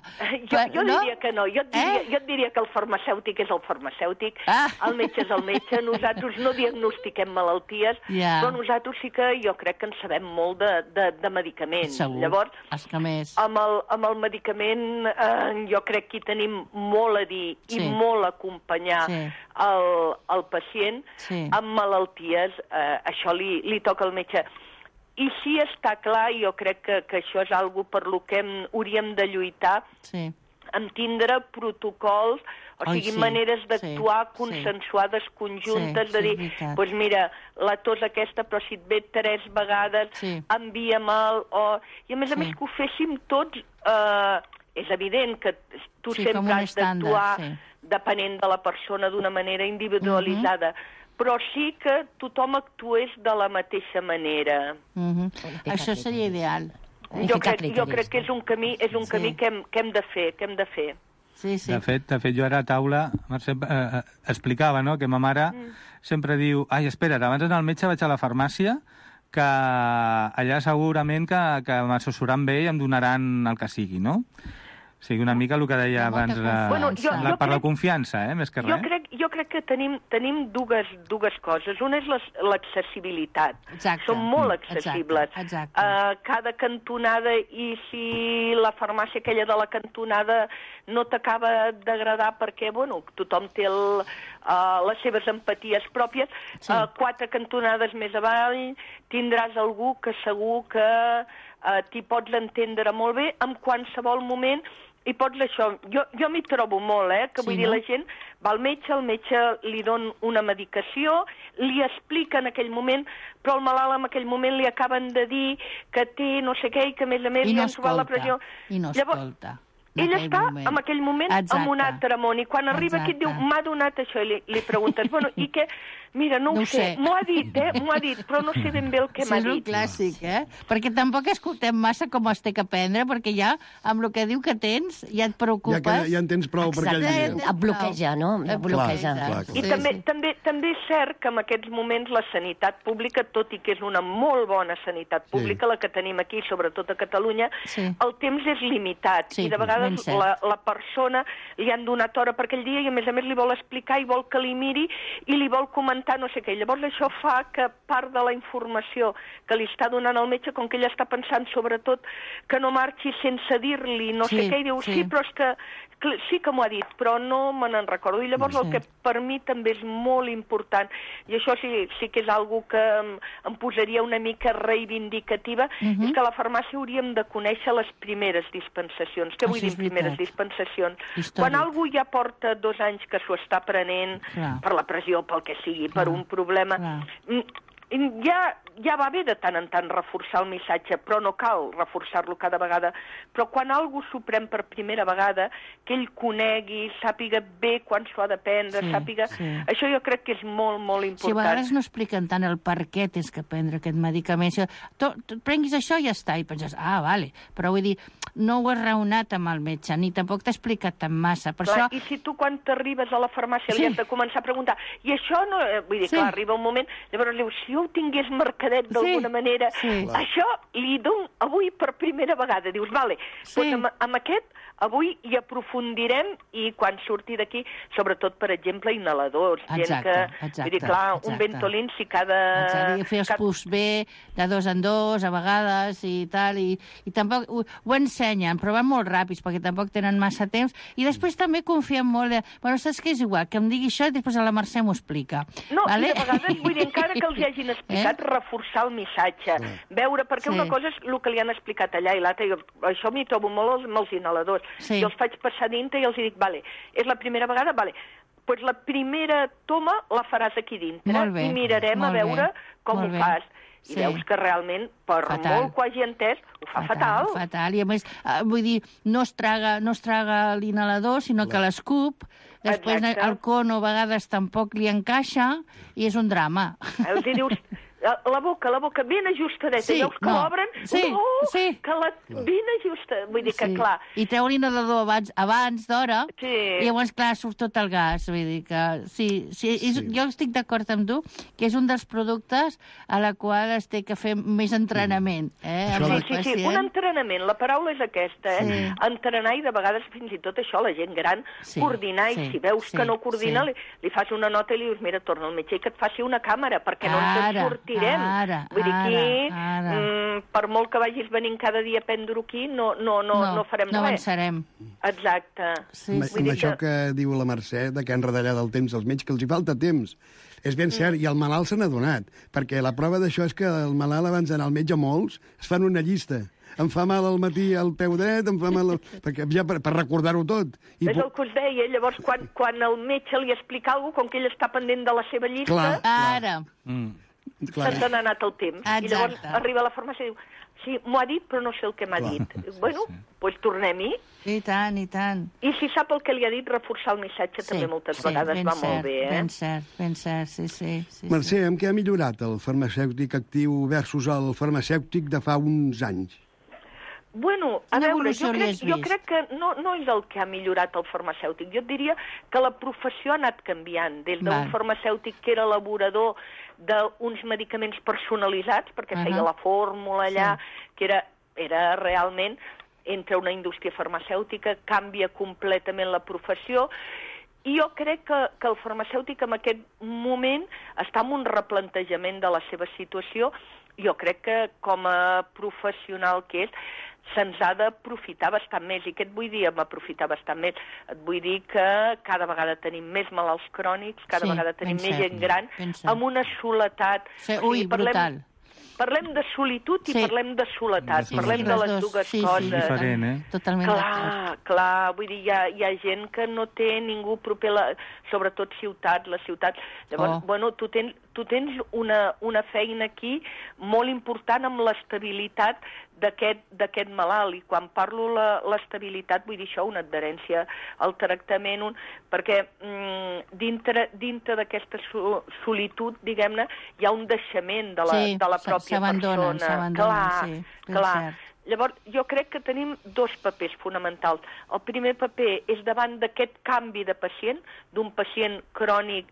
Jo, jo no? diria que no. Jo et diria, eh? jo et diria que el farmacèutic és el farmàceutic, ah. el metge és el metge, nosaltres no diagnostiquem malalties, yeah. però nosaltres sí que jo crec que en sabem molt de, de, de medicaments. Segur. Llavors, és que més. Amb, el, amb el medicament eh, jo crec que hi tenim molt a dir sí. i molt a acompanyar sí. el, el pacient sí. amb malalties, eh, això li, li toca al metge. I sí està clar, jo crec que, que això és algo per lo que hem, hauríem de lluitar, sí. en tindre protocols, o Oi, sigui, sí. maneres d'actuar sí. consensuades, sí. conjuntes, sí, de dir, doncs pues mira, la tos aquesta, però si et ve tres vegades, sí. envia-me'l, o... I a més a sí. més que ho féssim tots, eh, és evident que tu sí, sempre has d'actuar sí. depenent de la persona d'una manera individualitzada, uh-huh. però sí que tothom actués de la mateixa manera. Uh-huh. Això seria ideal. Jo crec, jo crec que és un camí, és un sí. camí que hem, que hem de fer, que hem de fer. Sí, sí. De fet, de fet, jo ara a taula Mercè, eh, explicava, no?, que ma mare mm. sempre diu, ai, espera't, abans d'anar al metge vaig a la farmàcia, que allà segurament que, que m'assessoran bé i em donaran el que sigui, no? O sigui, una mica el que deia abans la, bueno, jo, la, jo per crec, la confiança, eh, més que res. Jo crec, jo crec que tenim, tenim dues, dues coses. Una és l'accessibilitat. Són molt accessibles. Exacte, exacte. Uh, cada cantonada, i si la farmàcia aquella de la cantonada no t'acaba d'agradar perquè, bueno, tothom té el, uh, les seves empaties pròpies, sí. uh, quatre cantonades més avall tindràs algú que segur que uh, t'hi pots entendre molt bé en qualsevol moment i pots això... Jo, jo m'hi trobo molt, eh? Que vull Sí, dir, no? la gent va al metge, el metge li don una medicació, li explica en aquell moment, però el malalt en aquell moment li acaben de dir que té no sé què i que a més a més I li no han trobat la escolta, pressió. i no Llavors, escolta. en ell aquell està moment. en aquell moment Exacte. en un altre món, i quan arriba aquí et diu, Exacte. m'ha donat això, i li, li preguntes, bueno, i què? Mira, no, No ho ho sé, sé. m'ho ha dit, eh? M'ho ha dit, però no sé ben bé el que Sí, m'ha és un dit. clàssic, eh? Perquè tampoc escoltem massa com es té que prendre, perquè ja, amb el que diu que tens, ja et preocupes. Ja, que, ja en tens prou per aquell Exacte. dia. Et bloqueja, no? Et bloqueja. Clar, clar, clar. I Sí, també, sí. també, també és cert que en aquests moments la sanitat pública, tot i que és una molt bona sanitat pública, la que tenim aquí, sobretot a Catalunya, Sí. el temps és limitat. Sí, I de ben vegades cert. la, la persona li han donat hora per aquell dia i a més a més li vol explicar i vol que li miri i li vol comentar no sé què. Llavors això fa que part de la informació que li està donant el metge, com que ella està pensant sobretot que no marxi sense dir-li no Sí, sé què, i diu, sí. sí, però és que cl- sí que m'ho ha dit, però no me n'en recordo. I llavors Sí. el que per mi també és molt important, i això sí, sí que és algo que em, em posaria una mica reivindicativa, Mhm. és que a la farmàcia hauríem de conèixer les primeres dispensacions. Què vull Això dir és primeres veritat. dispensacions? Històric. Quan algú ja porta dos anys que s'ho està prenent Clar. per la pressió, pel que sigui, per Clar. un problema, Clar. mm, ja, ja va bé de tant en tant reforçar el missatge, però no cal reforçar-lo cada vegada. Però quan algú s'ho pren per primera vegada, que ell conegui, sàpiga bé quan s'ho ha de prendre, Sí, sàpiga... sí. Això jo crec que és molt, molt Si a important. vegades no expliquen tant el per què tens que prendre aquest medicament. Si tu, tu prenguis això i ja està, i penses, ah, vale. Però vull dir, no ho has raonat amb el metge, ni tampoc t'ha explicat tan massa. Per Clar, això... I si tu quan t'arribes a la farmàcia Sí. li has de començar a preguntar, i això no... eh, Vull dir, Sí. clar, arriba un moment, llavors li dius, si jo ho tingués mercadet d'alguna Sí. manera, Sí. això li dono avui per primera vegada. Dius, vale, Sí. doncs amb, amb aquest avui hi aprofundirem i quan surti d'aquí, sobretot, per exemple, inhaladors. Exacte, gent que, exacte, vull dir, clar, exacte. un Ventolin si cada... Exacte, i fer els cada- puffs bé, de dos en dos, a vegades, i tal, i, i tampoc ho, ho ensenyen, però van molt ràpids, perquè tampoc tenen massa temps, i després també confien molt de... Bueno, saps què és igual? Que em digui això i després a la Mercè m'ho explica. No, vale? i de vegades, vull dir, encara que els hi hagin explicat, Eh? reforçar el missatge, veure, perquè Sí. una cosa és el que li han explicat allà i l'altra, jo això m'hi trobo molt amb els inhaladors. Sí. Jo els faig passar dintre i els dic, vale, és la primera vegada, vale, pues la primera toma la faràs aquí dintre Molt bé, i mirarem molt a veure bé, com molt ho bé. fas. I Sí. veus que realment, per Fatal. molt que ho hagi entès, ho fa fatal. Fatal, i a més, eh, vull dir, no es traga, no es traga l'inhalador, sinó que l'escup, després Exacte. el cono a vegades tampoc li encaixa, i és un drama. Els hi dius, la boca, la boca ben ajustadeta, Sí, veus que no. l'obren, Sí, oh, sí. que la ben ajustada, vull dir que, Sí. clar, I treu l'inhalador abans, abans d'hora, Sí. i llavors, clar, surt tot el gas. Vull dir que sí, sí, és, Sí. jo estic d'acord amb tu que és un dels productes a la qual es té que fer més entrenament. Eh, amb Això el Sí, sí, sí, pacient. un entrenament, la paraula és aquesta, eh? Sí. Entrenar i de vegades fins i tot això, la gent gran, Sí, coordinar, sí, i si veus sí, que no coordina, sí. li, li fas una nota i li dius, mira, torna al metge i que et faci una càmera, perquè no ens Ara, en sortirem. ara, Vull dir, aquí, ara, ara. mm, per molt que vagis venint cada dia a prendre aquí, no, no, no, no, farem no res. avançarem. Exacte. Sí, amb, sí. amb això que diu la Mercè, de que han retallat el temps als metges, que els hi falta temps. És ben cert, i el malalt se n'ha donat, perquè la prova d'això és que el malalt, abans d'anar al metge, molts, es fan una llista. Em fa mal al matí el peu dret, em fa mal... El... perquè ja per, per recordar-ho tot. I És el que us deia, llavors quan, quan el metge li explica alguna cosa, com que ell està pendent de la seva llista, Clar. Ara. Mm. clar, se'ns n'ha anat el temps. Exacte. I llavors arriba a la farmàcia i diu, sí, m'ho ha dit, però no sé el que m'ha Clar. dit. Bueno, doncs pues tornem-hi. I tant, i tant. I si sap el que li ha dit, reforçar el missatge també moltes sí, vegades ben va cert, molt bé, eh? Ben cert, ben cert, sí, sí. sí Mercè, amb què ha millorat el farmacèutic actiu versus el farmacèutic de fa uns anys? Bueno, a Quina veure, evolució jo li crec, has jo vist? crec que no, no és el que ha millorat el farmacèutic. Jo et diria que la professió ha anat canviant, des d'un Val. farmacèutic que era elaborador d'uns medicaments personalitzats, perquè Ahà. feia la fórmula allà, que era, era realment, entre una indústria farmacèutica, canvia completament la professió, i jo crec que, que el farmacèutic en aquest moment està en un replantejament de la seva situació. Jo crec que com a professional que és, se'ns ha d'aprofitar bastant més. I què et vull dir amb aprofitar bastant més? Et vull dir que cada vegada tenim més malalts crònics, cada Sí, vegada tenim ben més cert, gent gran, ben cert. amb una soledat. Sí, O sigui, ui, brutal. parlem de solitud i Sí. parlem de soledat, Sí, parlem sí, de les les dos. dues Sí, sí. coses. Diferent, eh? Totalment Clar, clar, vull dir, hi ha, hi ha gent que no té ningú proper, la, sobretot ciutats, les ciutats. Llavors, Oh. bueno, tu tens, tu tens una, una feina aquí molt important amb l'estabilitat d'aquest d'aquest malalt, i quan parlo la- l'estabilitat vull dir això, una adherència al tractament, un, perquè mm, dintre, dintre d'aquesta so, solitud, diguem-ne, hi ha un deixament de la, Sí, de la s- pròpia s'abandonen, persona. s'abandonen, Clar, sí, ben clar. cert. Llavors, jo crec que tenim dos papers fonamentals. El primer paper és davant d'aquest canvi de pacient, d'un pacient crònic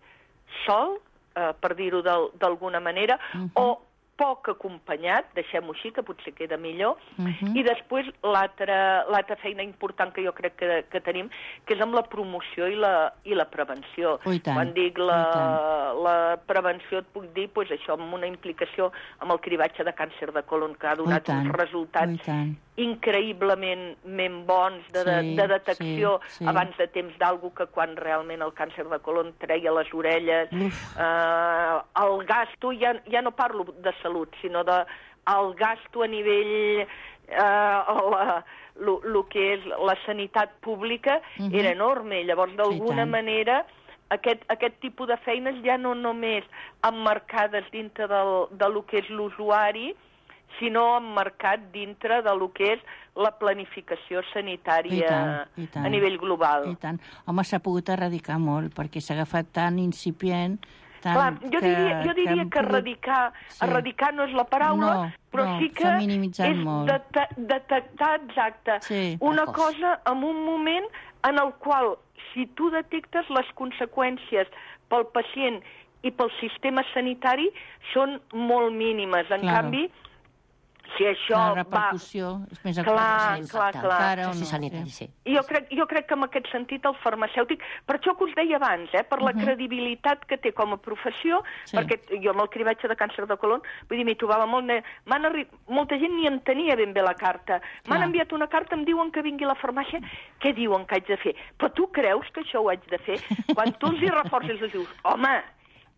sol, eh, per dir-ho d'al- d'alguna manera, Mhm. o poc acompanyat, deixem-ho així, que potser queda millor, Mhm. i després l'altra l'altra feina important que jo crec que, que tenim, que és amb la promoció i la, i la prevenció. Oh, i tant, Quan dic oh, i la, la prevenció et puc dir pues, això, amb una implicació amb el cribatge de càncer de colon, que ha donat tant, uns resultats oh, i tant. increïblement bons de, de, Sí, de detecció sí, sí. abans de temps d'algú que quan realment el càncer de colon treia les orelles. Uf. Eh, el gasto, ja, ja no parlo de salut, sinó de el gasto a nivell... Eh, la, lo, lo que és la sanitat pública Mhm. era enorme. Llavors, d'alguna tant. manera, aquest, aquest tipus de feines ja no només emmarcades dintre del, de lo que és l'usuari, sinó emmarcat dintre de lo que és la planificació sanitària I tant, i tant. a nivell global. I tant. Home, s'ha pogut erradicar molt, perquè s'ha agafat tan incipient... Tan Clar, jo diria, jo diria hem que pogut- erradicar, Sí. erradicar no és la paraula, No, però no, sí que s'ha minimitzat és molt. dete detectar exacte Sí, una precoç. cosa en un moment en el qual, si tu detectes les conseqüències pel pacient i pel sistema sanitari, són molt mínimes. En Claro. canvi, si això La va... repercussió és més Clar, important. clar, clar. Encara o Sí, no, sanitari, sí. sí. Jo crec, jo crec que en aquest sentit el farmacèutic, per això que us deia abans, eh, per la Mhm. credibilitat que té com a professió, Sí. perquè jo amb el cribatge de càncer de colon, vull dir, m'hi trobava molt... Ne... M'han arri... Molta gent ni entenia ben bé la carta. M'han Clar. enviat una carta, em diuen que vingui a la farmàcia, què diuen que haig de fer? Però tu creus que això ho haig de fer? Quan tu els hi reforces, els dius, home,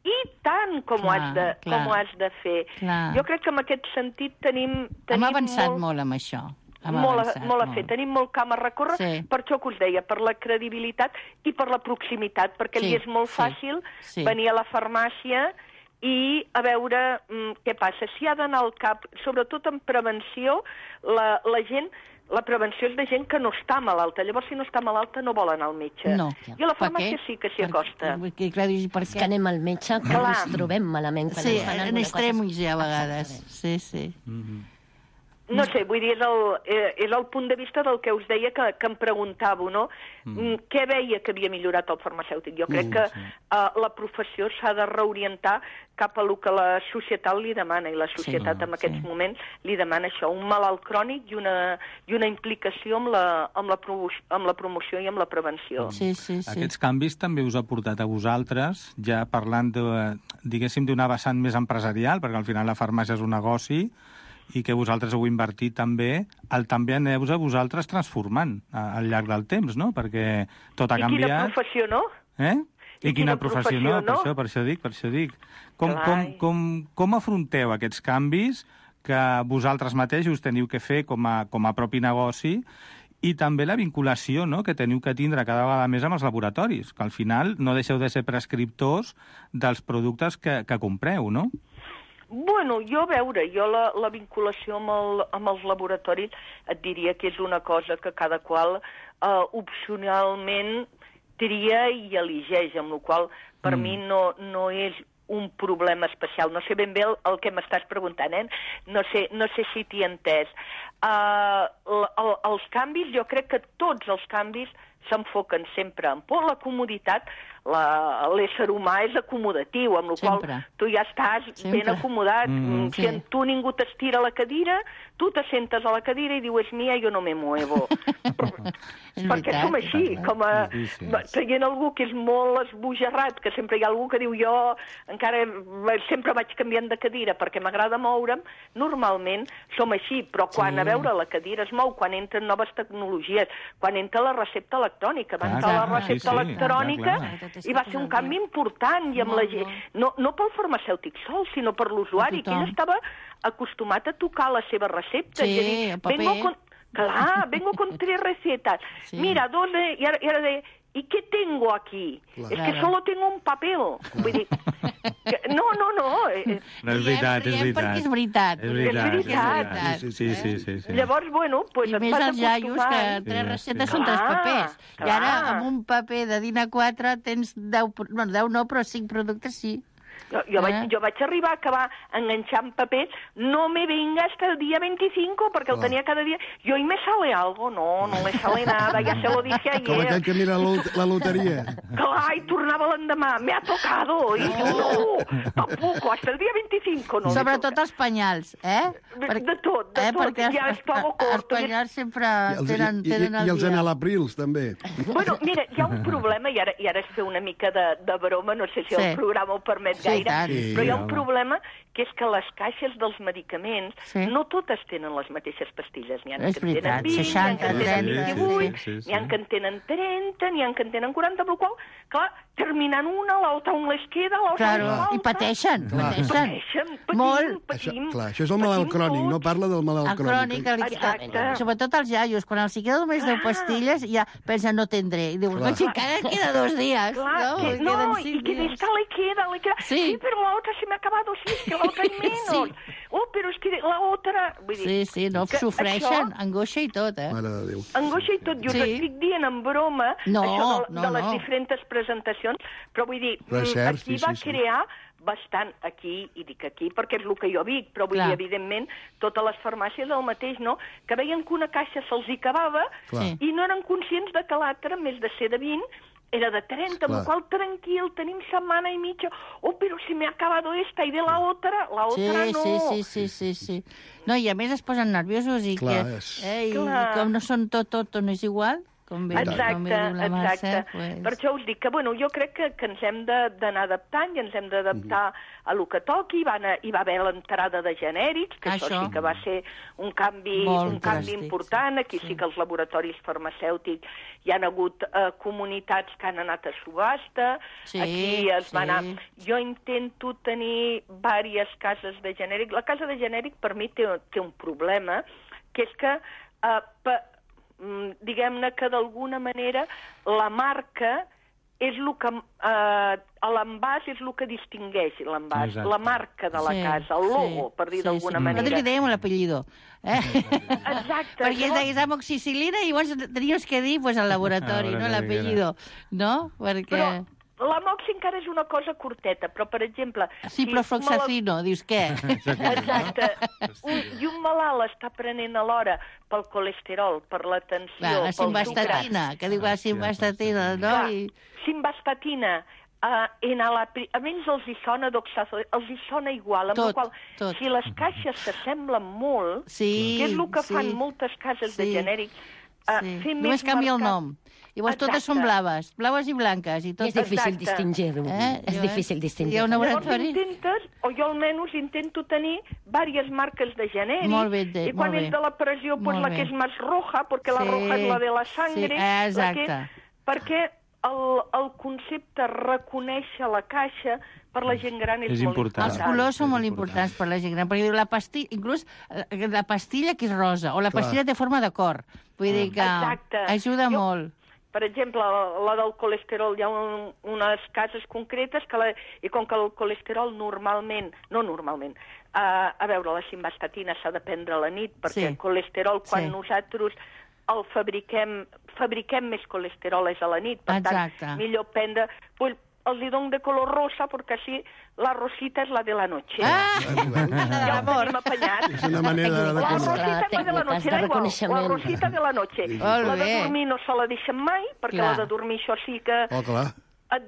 i tant com, Clar, ho, has de, clar. com ho has de fer. Clar. Jo crec que en aquest sentit tenim... Hem tenim avançat molt... molt amb això. Hem molt, a, avançat molt a fer. Tenim molt camp a recórrer, Sí. per això que us deia, per la credibilitat i per la proximitat, perquè Sí, li és molt sí, fàcil sí. venir a la farmàcia i a veure mm, què passa. Si ha d'anar al cap, sobretot en prevenció, la, la gent... La prevenció és de gent que no està malalta. Llavors, si no està malalta, no vol anar al metge. No. I a la Per farmàcia què? sí que s'hi acosta. Per, perquè, clar, dius, per És que què? anem al metge quan Clar. ens trobem malament. Quan Sí, ens fan en alguna cosa. extremis ja a vegades. Exactament. Sí, sí. No sé, vull dir, és el, eh, és el punt de vista del que us deia que, que em preguntàveu, no? Mm. Què veia que havia millorat el farmacèutic? Jo crec Mm, que sí. eh, la professió s'ha de reorientar cap a lo que la societat li demana, i la societat Sí, en aquests sí. moments li demana això, un malalt crònic i una, i una implicació amb la, amb, la promo amb la promoció i amb la prevenció. Sí, sí, sí. Aquests canvis també us ha portat a vosaltres, ja parlant, de, diguéssim, d'una vessant més empresarial, perquè al final la farmàcia és un negoci, i que vosaltres heu invertit també, el també aneu-vos a vosaltres transformant a, al llarg del temps, no? Perquè tot ha I quina canviat. professió, no? Eh? I, I quina quina professió, professió, no? Per no? això, per això dic, per això dic. Com, Clar. com, com, com afronteu aquests canvis que vosaltres mateixos teniu que fer com a, com a propi negoci, i també la vinculació, no?, que teniu que tindre cada vegada més amb els laboratoris, que al final no deixeu de ser prescriptors dels productes que, que compreu, no? Bueno, jo a veure, jo la, la vinculació amb, el, amb els laboratoris et diria que és una cosa que cada qual eh, opcionalment tria i eligeix, amb la qual cosa per Mm. mi no, no és un problema especial. No sé ben bé el, el que m'estàs preguntant, eh? No sé, no sé si t'hi he entès. Uh, el, el, els canvis, jo crec que tots els canvis s'enfoquen sempre en por la comoditat. L'ésser humà és acomodatiu, amb la qual Sempre. tu ja estàs Sempre. ben acomodat. Mm. Si Sí. en tu ningú t'estira la cadira, tu te sentes a la cadira i dius, és mia, jo no me muevo. És Perquè veritat, som així, clar. com a... Sí, sí. Traient algú que és molt esbojarrat, que sempre hi ha algú que diu jo encara sempre vaig canviant de cadira perquè m'agrada moure'm, normalment som així, però quan Sí. a veure la cadira es mou, quan entren noves tecnologies, quan entra la recepta electrònica, electrònica. Van Clar, entrar la clar, recepta sí, sí, electrònica clar, clar. i va ser un canvi important i amb la gent. No, no pel farmacèutic sol, sinó per l'usuari, que ell estava acostumat a tocar la seva recepta. Sí, i a dir, el paper. vengo con... Clar, vengo con tres recetas. Sí. Mira, dos de... I ara, i ara de... ¿Y qué tengo aquí? Claro. Es que solo tengo un papel. Vull dir, que, no, no, no. Eh, No, és veritat, és Riem veritat. perquè és veritat. És veritat, És veritat. és veritat. Sí, sí, sí, sí. Llavors, bueno, pues I et més vas els iaios, que acostumant. tres Sí, receptes sí. són tres Clar, papers. I clar. ara, amb un paper de D I N A quatre, tens deu... Bueno, deu no, però cinc productes sí. Jo, jo, vaig, Eh? jo vaig arribar a acabar enganxant papers, no me venga hasta el día veinticinco, perquè el Clar. tenia cada dia. Jo, ¿y me sale algo? No, no me sale nada, ya se lo dije ayer. Com aquell que mira la lot- la loteria. Clar, i tornava l'endemà, me ha tocado. I diu, no, tampoco, hasta el dia veinticinco. No Sobretot els penyals, eh? De- de tot, de eh? tot, Perquè ja els, és pago els corto. penyals sempre I els, tenen, i, tenen i, el i els dia. anelaprils, també. Bueno, mira, hi ha un problema, i ara, i ara es fa una mica de, de broma, no sé si Sí. el programa ho permet Sí, gaire, tant. Sí, però hi ha un home. problema que és que les caixes dels medicaments Sí. no totes tenen les mateixes pastilles. N'hi ha És que en veritat, tenen vint, seixanta, n'hi ha que en tenen trenta, vint-i-vuit, sí, sí, sí. n'hi ha que en tenen trenta, n'hi ha que en tenen quaranta, per qual, clar, terminant una, l'altra un les queda, l'altra Claro, les falta. i pateixen, Clar. pateixen. Pateixen, patim, Molt. patim. Això, clar, això és el malalt patim crònic, no tots. parla del malalt El crònic, el, Exacte. sobretot els iaios, quan els hi queda només deu pastilles, ja pensen, no tendré. I dius, Clar. no, si encara queda dos dies. Claro, no, que, Queden no, y cinc que de dies. esta le queda, le queda. Sí. Sí, pero la otra se me ha acabado, sí, es que la otra hay menos. Sí. Oh, pero es que la otra... Vull dir, Sí, sí, no, que sofreixen, això- angoixa i tot, eh? Mare de Déu. Angoixa i tot, jo Sí. us estic dient en broma No, això de, no, de les no. diferents presentacions, però vull dir, Però és mm, cert, aquí sí, va sí, sí. crear bastant aquí, i dic aquí perquè és el que jo dic, però vull Clar. dir, evidentment, totes les farmàcies el mateix, no? Que veien que una caixa se'ls hi acabava Clar. i no eren conscients de que l'altra, en més de ser de vint, era de trenta, amb Clar. el qual tranquil, tenim setmana i mitja, oh, però si me ha acabado esta i de la otra, la Sí, otra no. sí, sí, sí, sí, sí. No, i a més es posen nerviosos i, Clar, que, és- eh, i, Clar. i com no són tot, tot, no és igual, com bé, Exacte, com bé diu la exacte. Mercè, pues... Per això us dic que, bueno, jo crec que, que ens hem de- d'anar adaptant i ens hem d'adaptar a lo que toqui. Va anar, hi va haver l'entrada de genèrics, que això, Això. sí que va ser un canvi, Molt un canvi dràstic, important. Aquí sí. sí que els laboratoris farmacèutics hi han hagut eh, comunitats que han anat a subhasta. Sí, Aquí es sí. va anar... Jo intento tenir diverses cases de genèric. La casa de genèric per mi té, té un problema, que és que eh, pa, mm, diguem-ne que d'alguna manera la marca és el que... Eh, l'envàs és el que distingueix l'envàs, Exacte. la marca de la Sí, casa, el logo, sí, per dir sí, d'alguna sí. manera. Nosaltres li dèiem l'apellido. Eh? Exacte. Perquè es deia amoxicilina i llavors tenies que dir pues, el laboratori, A veure no què l'apellido. No? Perquè... Però l'amoxi encara és una cosa curteta, però, per exemple... Sí, però floxacino, dius què? Exacte. Un, I un malalt està prenent alhora pel colesterol, per la tensió, Va, la pel sucre. simvastatina, que diu la simvastatina, no? Clar, I... simvastatina, uh, enalapril, a ells els hi sona doxazol, els hi sona igual, amb Tot, la qual, tot. si les caixes s'assemblen molt, Sí, que és el que sí. fan moltes cases de Sí. genèrics, uh, Sí. fer Només més canvia el mercat. nom. Llavors totes Exacte. són blaves, blaves i blanques. I, I tot... és difícil Exacte. distingir-ho. Eh? És Jo, eh? difícil Hi ha distingir-ho. un Llavors laboratori... intentes, o jo almenys intento tenir diverses marques de genèrics, Molt bé, de- i quan molt és bé. de la pressió, pues Molt la bé. que és més roja, perquè la Sí, roja és la de la sangre, sí, la exacte. que, perquè el, el concepte reconèixer la caixa per la gent gran és, És molt important. Els important. colors són és molt important. importants per la gent gran, perquè diu la pastilla, inclús eh, la pastilla que és rosa, o la Clar. pastilla té forma de cor. Vull dir que Exacte. ajuda Jo- molt. Per exemple, la, la del colesterol, hi ha un, unes cases concretes que la, i com que el colesterol normalment, no normalment, uh, a veure, la simvastatina s'ha de prendre a la nit, perquè Sí. el colesterol, quan Sí. nosaltres el fabriquem, fabriquem més colesterol és a la nit, per Exacte. tant, millor prendre... Pues, els hi dono de color rosa, perquè així la rosita és la de la noche. Ah! Ja ho tenim apanyat. És una manera de... La Tècniques, rosita és la de la tècniques noche, de da igual, la reconeixement. rosita de la noche. Molt La de bé. dormir no se la deixen mai, perquè Clar. la de dormir això sí que... Oh, clar.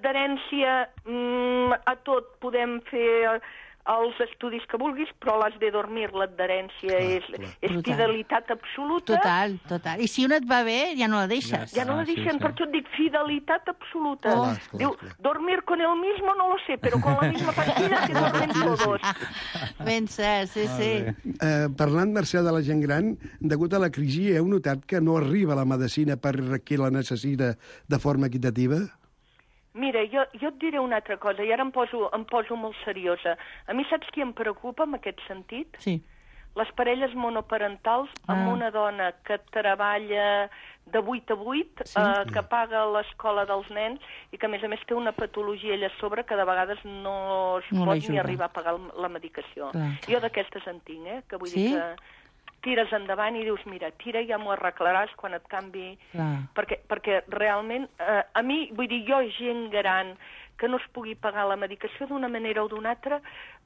Adherència mm, a tot podem fer els estudis que vulguis, però l'has de dormir, l'adherència és, és fidelitat absoluta. Total, total. I si una et va bé, ja no la deixes. Ja no la deixen, per això et dic fidelitat absoluta. Clar, clar, Diu, clar. dormir con el mismo no lo sé, pero con la misma pastilla te duermen todos. Ben cert, sí, sí. Eh, parlant, Mercè, de la gent gran, degut a la crisi, heu notat que no arriba la medicina per qui la necessita de forma equitativa? Mira, jo, jo et diré una altra cosa, i ara em poso, em poso molt seriosa. A mi saps qui em preocupa en aquest sentit? Sí. Les parelles monoparentals amb Ah. una dona que treballa de vuit a vuit, Sí. eh, que paga l'escola dels nens i que, a més a més, té una patologia ella a sobre que de vegades no es No pot l'ajuda. ni arribar a pagar el- la medicació. Clar. Jo d'aquestes en tinc, eh? Que vull Sí? dir que tires endavant i dius, mira, tira, ja m'ho arreglaràs quan et canvi... Clar. Perquè, perquè realment, eh, a mi, vull dir, jo, gent gran, que no es pugui pagar la medicació d'una manera o d'una altra,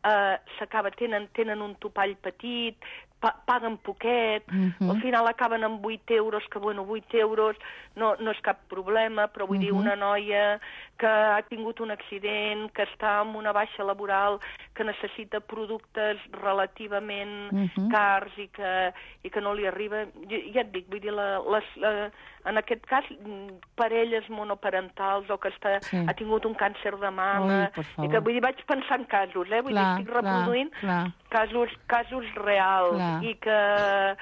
eh, s'acaba, tenen, tenen un topall petit, pa paguen poquet, Mhm. al final acaben amb vuit euros, que bueno, vuit euros no, no és cap problema, però vull dir, Mhm. una noia que ha tingut un accident, que està amb una baixa laboral, que necessita productes relativament Mhm. cars i que, i que no li arriba, ja, ja et dic, vull dir, la, les, la, en aquest cas, mm, parelles monoparentals o que està, Sí. ha tingut un càncer de mama, Ui, per favor. i que vull dir, vaig pensar en casos, eh? Vull Clar, dir, estic reproduint clar, clar. casos, casos reals Clar. i que,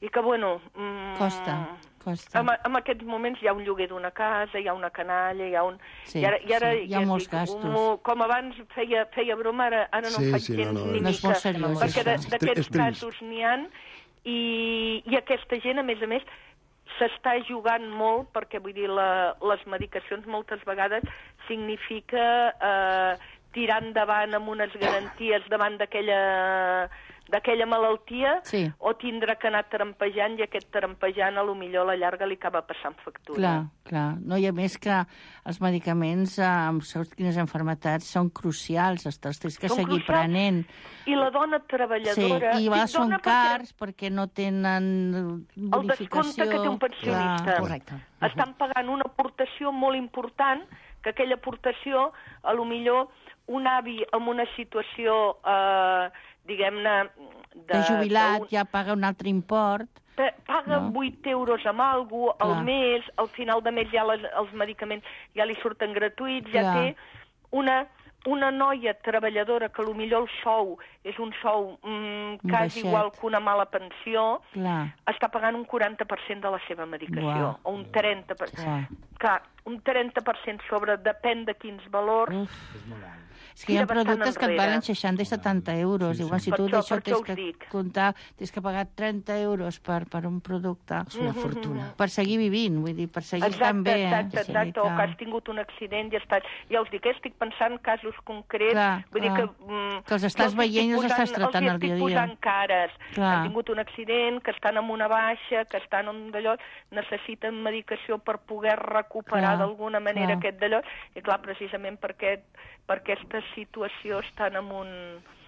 i que bueno... Mm, Costa, costa. En, en aquests moments hi ha un lloguer d'una casa, hi ha una canalla, hi ha un... Sí, I ara, i ara, sí, hi ha ja et molts dic, gastos. mo- Com abans feia, feia broma, ara, ara no Sí, en faig sí, gens no, no, ni no és mica. molt seriós, Perquè de- això. d'aquests És trist. casos n'hi ha, i, i aquesta gent, a més a més, s'està jugant molt, perquè vull dir, la, les medicacions moltes vegades significa eh, tirar endavant amb unes garanties davant d'aquella d'aquella malaltia, Sí. o tindrà que anar trampejant, i aquest trampejant a lo millor a la llarga li acaba passant factura. Clar, clar. No, i a més que els medicaments eh, amb segons quines enfermetats són crucials, els te'ls tens que Són seguir crucials. prenent. I la dona Sí, treballadora... i va, dic són dona perquè cars perquè no tenen El bonificació. descompte que té un pensionista. Clar. Correcte. Estan pagant una aportació molt important, que aquella aportació, a lo millor, un avi en una situació, eh, diguem-ne... De, de jubilat d'un- ja paga un altre import. Pa- paga No? vuit euros amb algú al Clar. mes, al final de mes ja les, els medicaments ja li surten gratuïts, ja Clar. té una, una noia treballadora que potser el sou és un sou mm, quasi baixet. igual que una mala pensió, Clar. està pagant un quaranta per cent de la seva medicació, Uau. o un trenta per cent. Clar. Clar, un trenta per cent sobre, depèn de quins valors. Uf. És que hi ha Tira bastant productes que et enrere. valen seixanta i setanta euros. Sí, sí. Igual si Per tu això- d'això per tens això us que dic. comptar, tens que pagar trenta euros per, per un producte. És una fortuna. Per seguir vivint, vull dir, per seguir Exacte, estant bé. eh? exacte, Sí, exacte, o clar. que has tingut un accident i estàs... Ja us dic, eh, estic pensant en casos concrets, Clar, vull dir clar. que... Mm, Que els estàs jo veient i els estic estàs posant- tractant els al dia a estic dia. posant cares, que Clar. han tingut un accident, que estan amb una baixa, que estan amb d'allò, necessiten medicació per poder recuperar Clar, d'alguna manera clar. aquest d'allò, i clar, precisament per, aquest, per aquesta situació estan en un...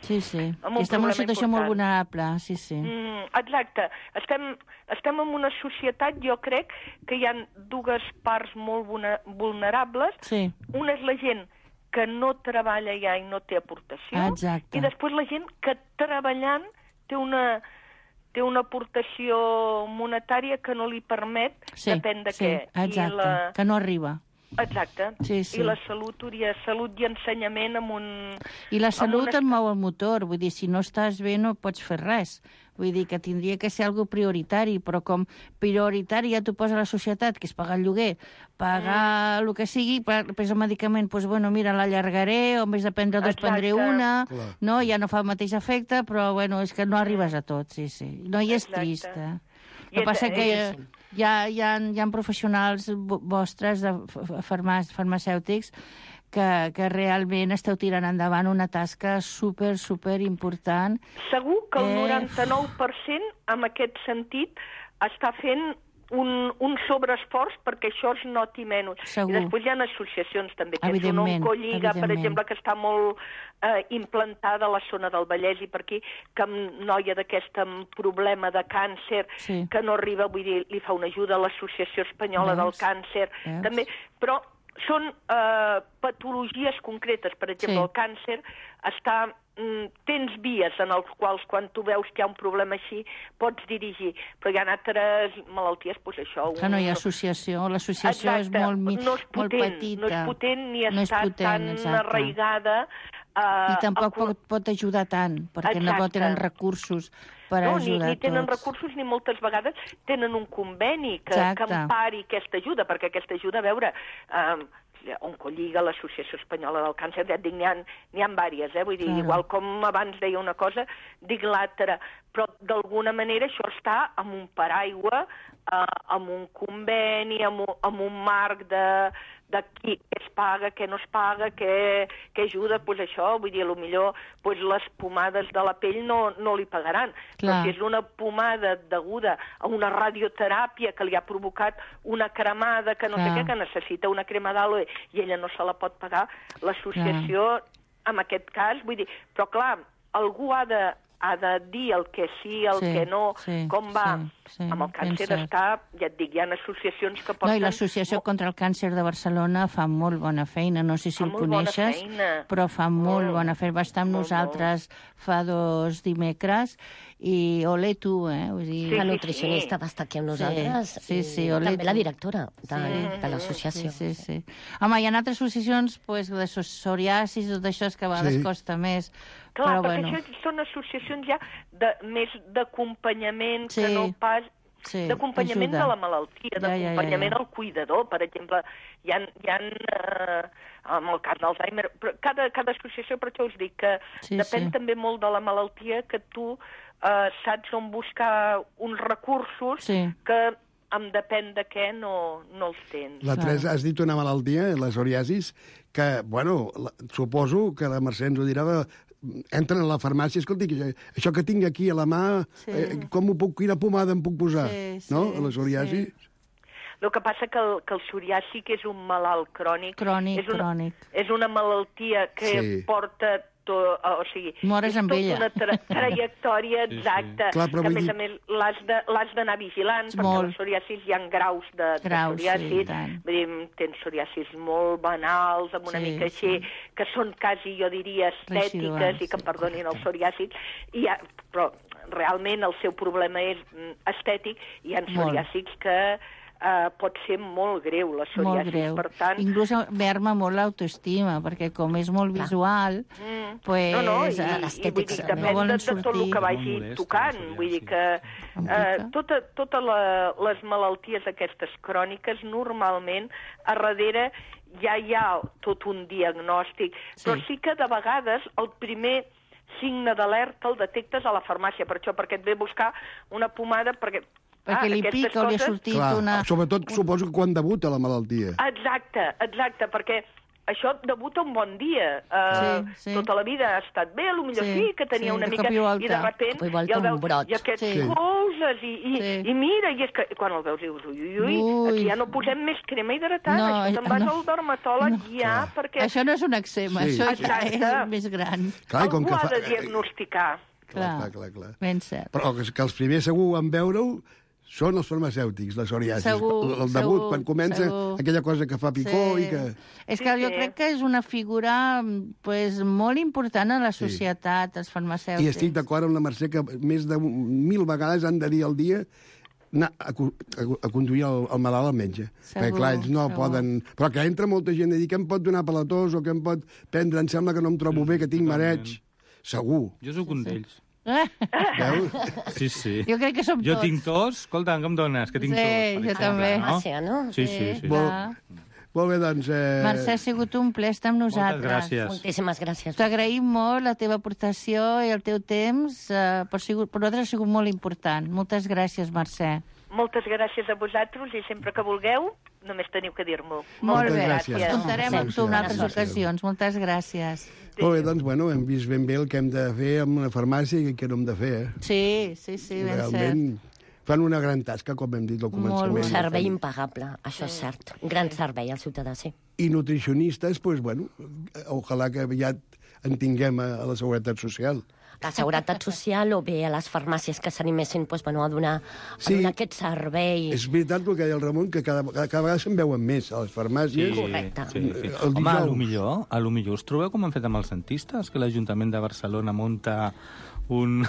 Sí, sí. amb I un estem en una problema situació molt important. vulnerable, sí, sí. Mm, exacte. Estem, estem en una societat, jo crec, que hi ha dues parts molt vulne- vulnerables. Sí. Una és la gent que no treballa ja i no té aportació. Exacte. I després la gent que treballant té una, té una aportació monetària que no li permet, Sí, depèn de sí, què. exacte, I la... que no arriba. Exacte. Sí, sí. I la salut, hauria salut i ensenyament amb un... I la amb salut unes- et mou el motor, vull dir, si no estàs bé no pots fer res. Vull dir que tindria que ser algo prioritari, però com prioritari ja t'ho posa la societat, que és pagar el lloguer, pagar Mm. el que sigui, per, per el medicament, doncs, bueno, mira, l'allargaré, o en vez de prendre dos, Exacte. prendré una, Clar. no? Ja no fa el mateix efecte, però, bueno, és que no arribes a tot, sí, sí. No, i és Exacte. trist, eh? I El que és- passa que és- hi ha, hi ha, hi ha professionals vo- vostres, de farmà, farmacèutics, que, que realment esteu tirant endavant una tasca super, super important. Segur que el Eh, noranta-nou per cent, en aquest sentit, està fent un, un sobreesforç perquè això es noti menys. Segur. I després hi ha associacions també, que és una Evidentment, Oncolliga, per evidentment. exemple, que està molt eh, implantada a la zona del Vallès i per aquí, que amb noia d'aquest amb problema de càncer, Sí. que no arriba, vull dir, li fa una ajuda a l'Associació Espanyola Veus? del Càncer, Veus? també, però són eh, patologies concretes. Per exemple, Sí. el càncer està... mm, tens vies en els quals, quan tu veus que hi ha un problema així, pots dirigir. Però hi ha altres malalties, doncs això... Que no hi ha associació, l'associació és molt, mi- no és molt potent, petita. no és potent ni No és està potent, tan exacte. arraigada. Eh, I tampoc a cor- pot, pot ajudar tant, perquè no Exacte. tenen recursos per no, ni, ajudar ni tenen tots. recursos ni moltes vegades tenen un conveni que, Exacte. que empari aquesta ajuda, perquè aquesta ajuda, a veure, eh, Oncolliga, l'Associació Espanyola del Càncer, ja et dic, n'hi ha, n'hi ha diverses, eh? Vull dir, Claro. igual com abans deia una cosa, dic l'altra, però d'alguna manera això està amb un paraigua, eh, amb un conveni, amb un, amb un marc de, de qui, què es paga, què no es paga, què, què ajuda, doncs això, vull dir, potser pues, les pomades de la pell no, no li pagaran. Clar. Però si és una pomada deguda a una radioteràpia que li ha provocat una cremada, que no Clar. sé què, que necessita una crema d'àloe i ella no se la pot pagar, l'associació, en aquest cas, vull dir, però clar, algú ha de, ha de dir el que sí, el Sí, que no, sí, com va. sí, sí, amb el càncer ben cert. està, ja et dic, hi ha associacions que No, porten... i l'Associació contra el Càncer de Barcelona fa molt bona feina, no sé si Fa el molt bona coneixes, feina. però fa molt, Molt, bona feina. Va estar amb molt, nosaltres fa dos dimecres i ole tu, eh? Vull dir... La nutricionista va estar aquí amb nosaltres Sí, sí, i ole també tu. la directora de, Sí. de l'associació. Sí, sí, sí. Home, hi ha altres associacions pues, de psoriasis, tot això és que a vegades Sí. costa més. Clar, però perquè bueno, això són associacions ja de, més d'acompanyament Sí, que no pas... sí, d'acompanyament ajuda. de la malaltia, Ja, ja, ja, d'acompanyament ja. al cuidador. Per exemple, hi ha, hi ha eh, amb el cas d'Alzheimer, però cada, cada associació, per això us dic que Sí, depèn sí. també molt de la malaltia, que tu eh, saps on buscar uns recursos Sí. que em depèn de què no, no els tens. La Teresa, has dit una malaltia, la psoriasis, que, bueno, la, suposo que la Mercè ens ho dirà, de, entren a la farmàcia, escolti, que, això que tinc aquí a la mà, Sí. eh, com ho puc, quina pomada em puc posar? Sí, sí, no? La psoriasi. sí. El que passa que el, que el psoriàsic és un malalt crònic. Crònic, és una, crònic. És una malaltia que Sí. porta... To, o sigui, Mores és amb tota ella. una tra trajectòria Sí, sí. exacta, Clar, però que a vull més dir- a més l'has de- l'has d'anar vigilant, perquè Molt. la psoriasis hi ha graus de, Graus, de sí, psoriasis. i tant. Vull dir, tens psoriasis molt banals, amb una Sí, mica així, sí. que són quasi, jo diria, estètiques, Residuals, i que em sí. perdonin els psoriàsics, i hi ha, però realment el seu problema és mm, estètic, i hi ha Molt. psoriàsics que Uh, pot ser molt greu, la Molt psoriasis. greu. Per tant, Inclús merma molt l'autoestima, perquè com és molt visual, mm, pues, no, no, i, eh, i vull dir, l'estètica depèn no volen de, de tot el sortir. que Molt vagi modesta, tocant. la Vull dir psoriasi. que Em eh, pica. tota, tota la, les malalties aquestes cròniques, normalment, a darrere ja hi ha tot un diagnòstic, Sí. però sí que de vegades el primer signe d'alerta el detectes a la farmàcia, per això, perquè et ve a buscar una pomada, perquè Perquè li aquestes pica o li ha coses- sortit Clar, una... sobretot suposo que quan debuta la malaltia. Exacte, exacte, perquè això debuta un bon dia. Uh, Sí, sí. Tota la vida ha estat bé, potser Sí, sí, que tenia sí, una de mica... cop i volta. I de repent, De cop i volta i el un veus, brot. i aquests Sí. coses, i, i, Sí. i mira, i és que quan el veus dius, ui, ui, ui, Ui. aquí ja no posem més crema hidratant, No, això te'n vas no. al dermatòleg No. ja, perquè Això no és un eczema, Sí. això ja Exacte. és més gran. Clar, i com algú que ha fa- de diagnosticar. Clar, Clar. clar, clar, clar. Ben cert. Però que, que els primers segur en veure-ho són els farmacèutics, la psoriasis. Segur, el, el debut, segur, quan comença segur. aquella cosa que fa picor i que... És Sí, que jo sí. crec que és una figura pues, molt important a la Sí. societat, els farmacèutics. I estic d'acord amb la Mercè que més de mil vegades han de dir al dia anar a, cu- a, a conduir el, el malalt al metge. Segur, Perquè, clar, ells no segur. poden... Però que entra molta gent a dir que em pot donar per la tos o que em pot prendre, em sembla que no em trobo bé, que tinc totalment. mareig. Segur. Jo sóc un d'ells. Veus? Sí, sí. Jo crec que som Jo tots. tinc tos, escolta, què em dones? Que tinc Sí, tos, per jo exemple, també. No? Farmàcia, no? Sí, sí, sí. Clar. Molt bé, doncs... Eh... Mercè, ha sigut un ple estar amb Moltes nosaltres. gràcies. Moltíssimes gràcies. T'agraïm molt la teva aportació i el teu temps. Eh, per, sigut, per nosaltres ha sigut molt important. Moltes gràcies, Mercè. Moltes gràcies a vosaltres i sempre que vulgueu, només teniu que dir-m'ho. Molt Moltes bé. gràcies. Ens comptarem amb tu en altres Gràcies. ocasions. Moltes gràcies. Molt bé, doncs, bueno, hem vist ben bé el que hem de fer amb una farmàcia i què no hem de fer, eh? Sí, sí, sí, ben Realment fan una gran tasca, com hem dit al començament. Un servei impagable, això és cert. Un gran servei al ciutadà, sí. I nutricionistes, doncs, bueno, ojalà que aviat en tinguem a, a la Seguretat Social. la Seguretat Social o bé a les farmàcies que s'animessin doncs, bueno, a, donar, a Sí. donar aquest servei. És veritat el que deia el Ramon, que cada, cada vegada se'n veuen més a les farmàcies. Correcte. Sí, sí. El Home, a dijous. lo millor, a lo millor us trobeu com han fet amb els dentistes, que l'Ajuntament de Barcelona munta un...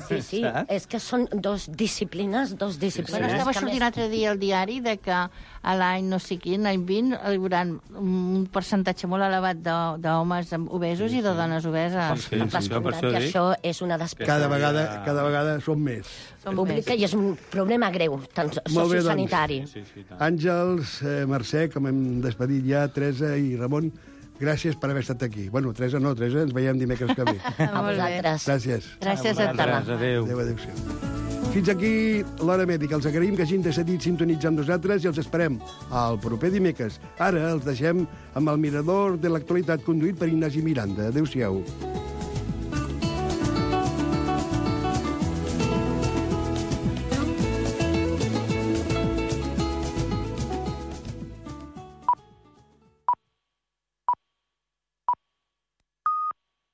Sí, sí, Saps? és que són dos disciplines, dos disciplines. Bueno, estava que sortint més- l'altre dia al diari de que a l'any no sé quin, l'any vint, hi haurà un percentatge molt elevat de- d'homes obesos i de dones obeses. Sí, sí, Amb sí, jo per descomptat això que dic. això és una despesa Cada vegada, cada vegada són més. Són pública més. i és un problema greu, tant Molt bé, doncs. sociosanitari. Sí, sí, tant. Àngels, eh, Mercè, com hem despedit ja, Teresa i Ramon, gràcies per haver estat aquí. Bueno, Teresa no, Teresa, ens veiem dimecres que ve. A Molt bé. vosaltres. Gràcies. Gràcies a Vosaltres, tu. adéu. Adéu, adéu-siau. Fins aquí l'Hora Mèdica. Els agraïm que hagin decidit sintonitzar amb nosaltres i els esperem al proper dimecres. Ara els deixem amb el Mirador de l'Actualitat conduït per Ignasi Miranda. Adéu-siau.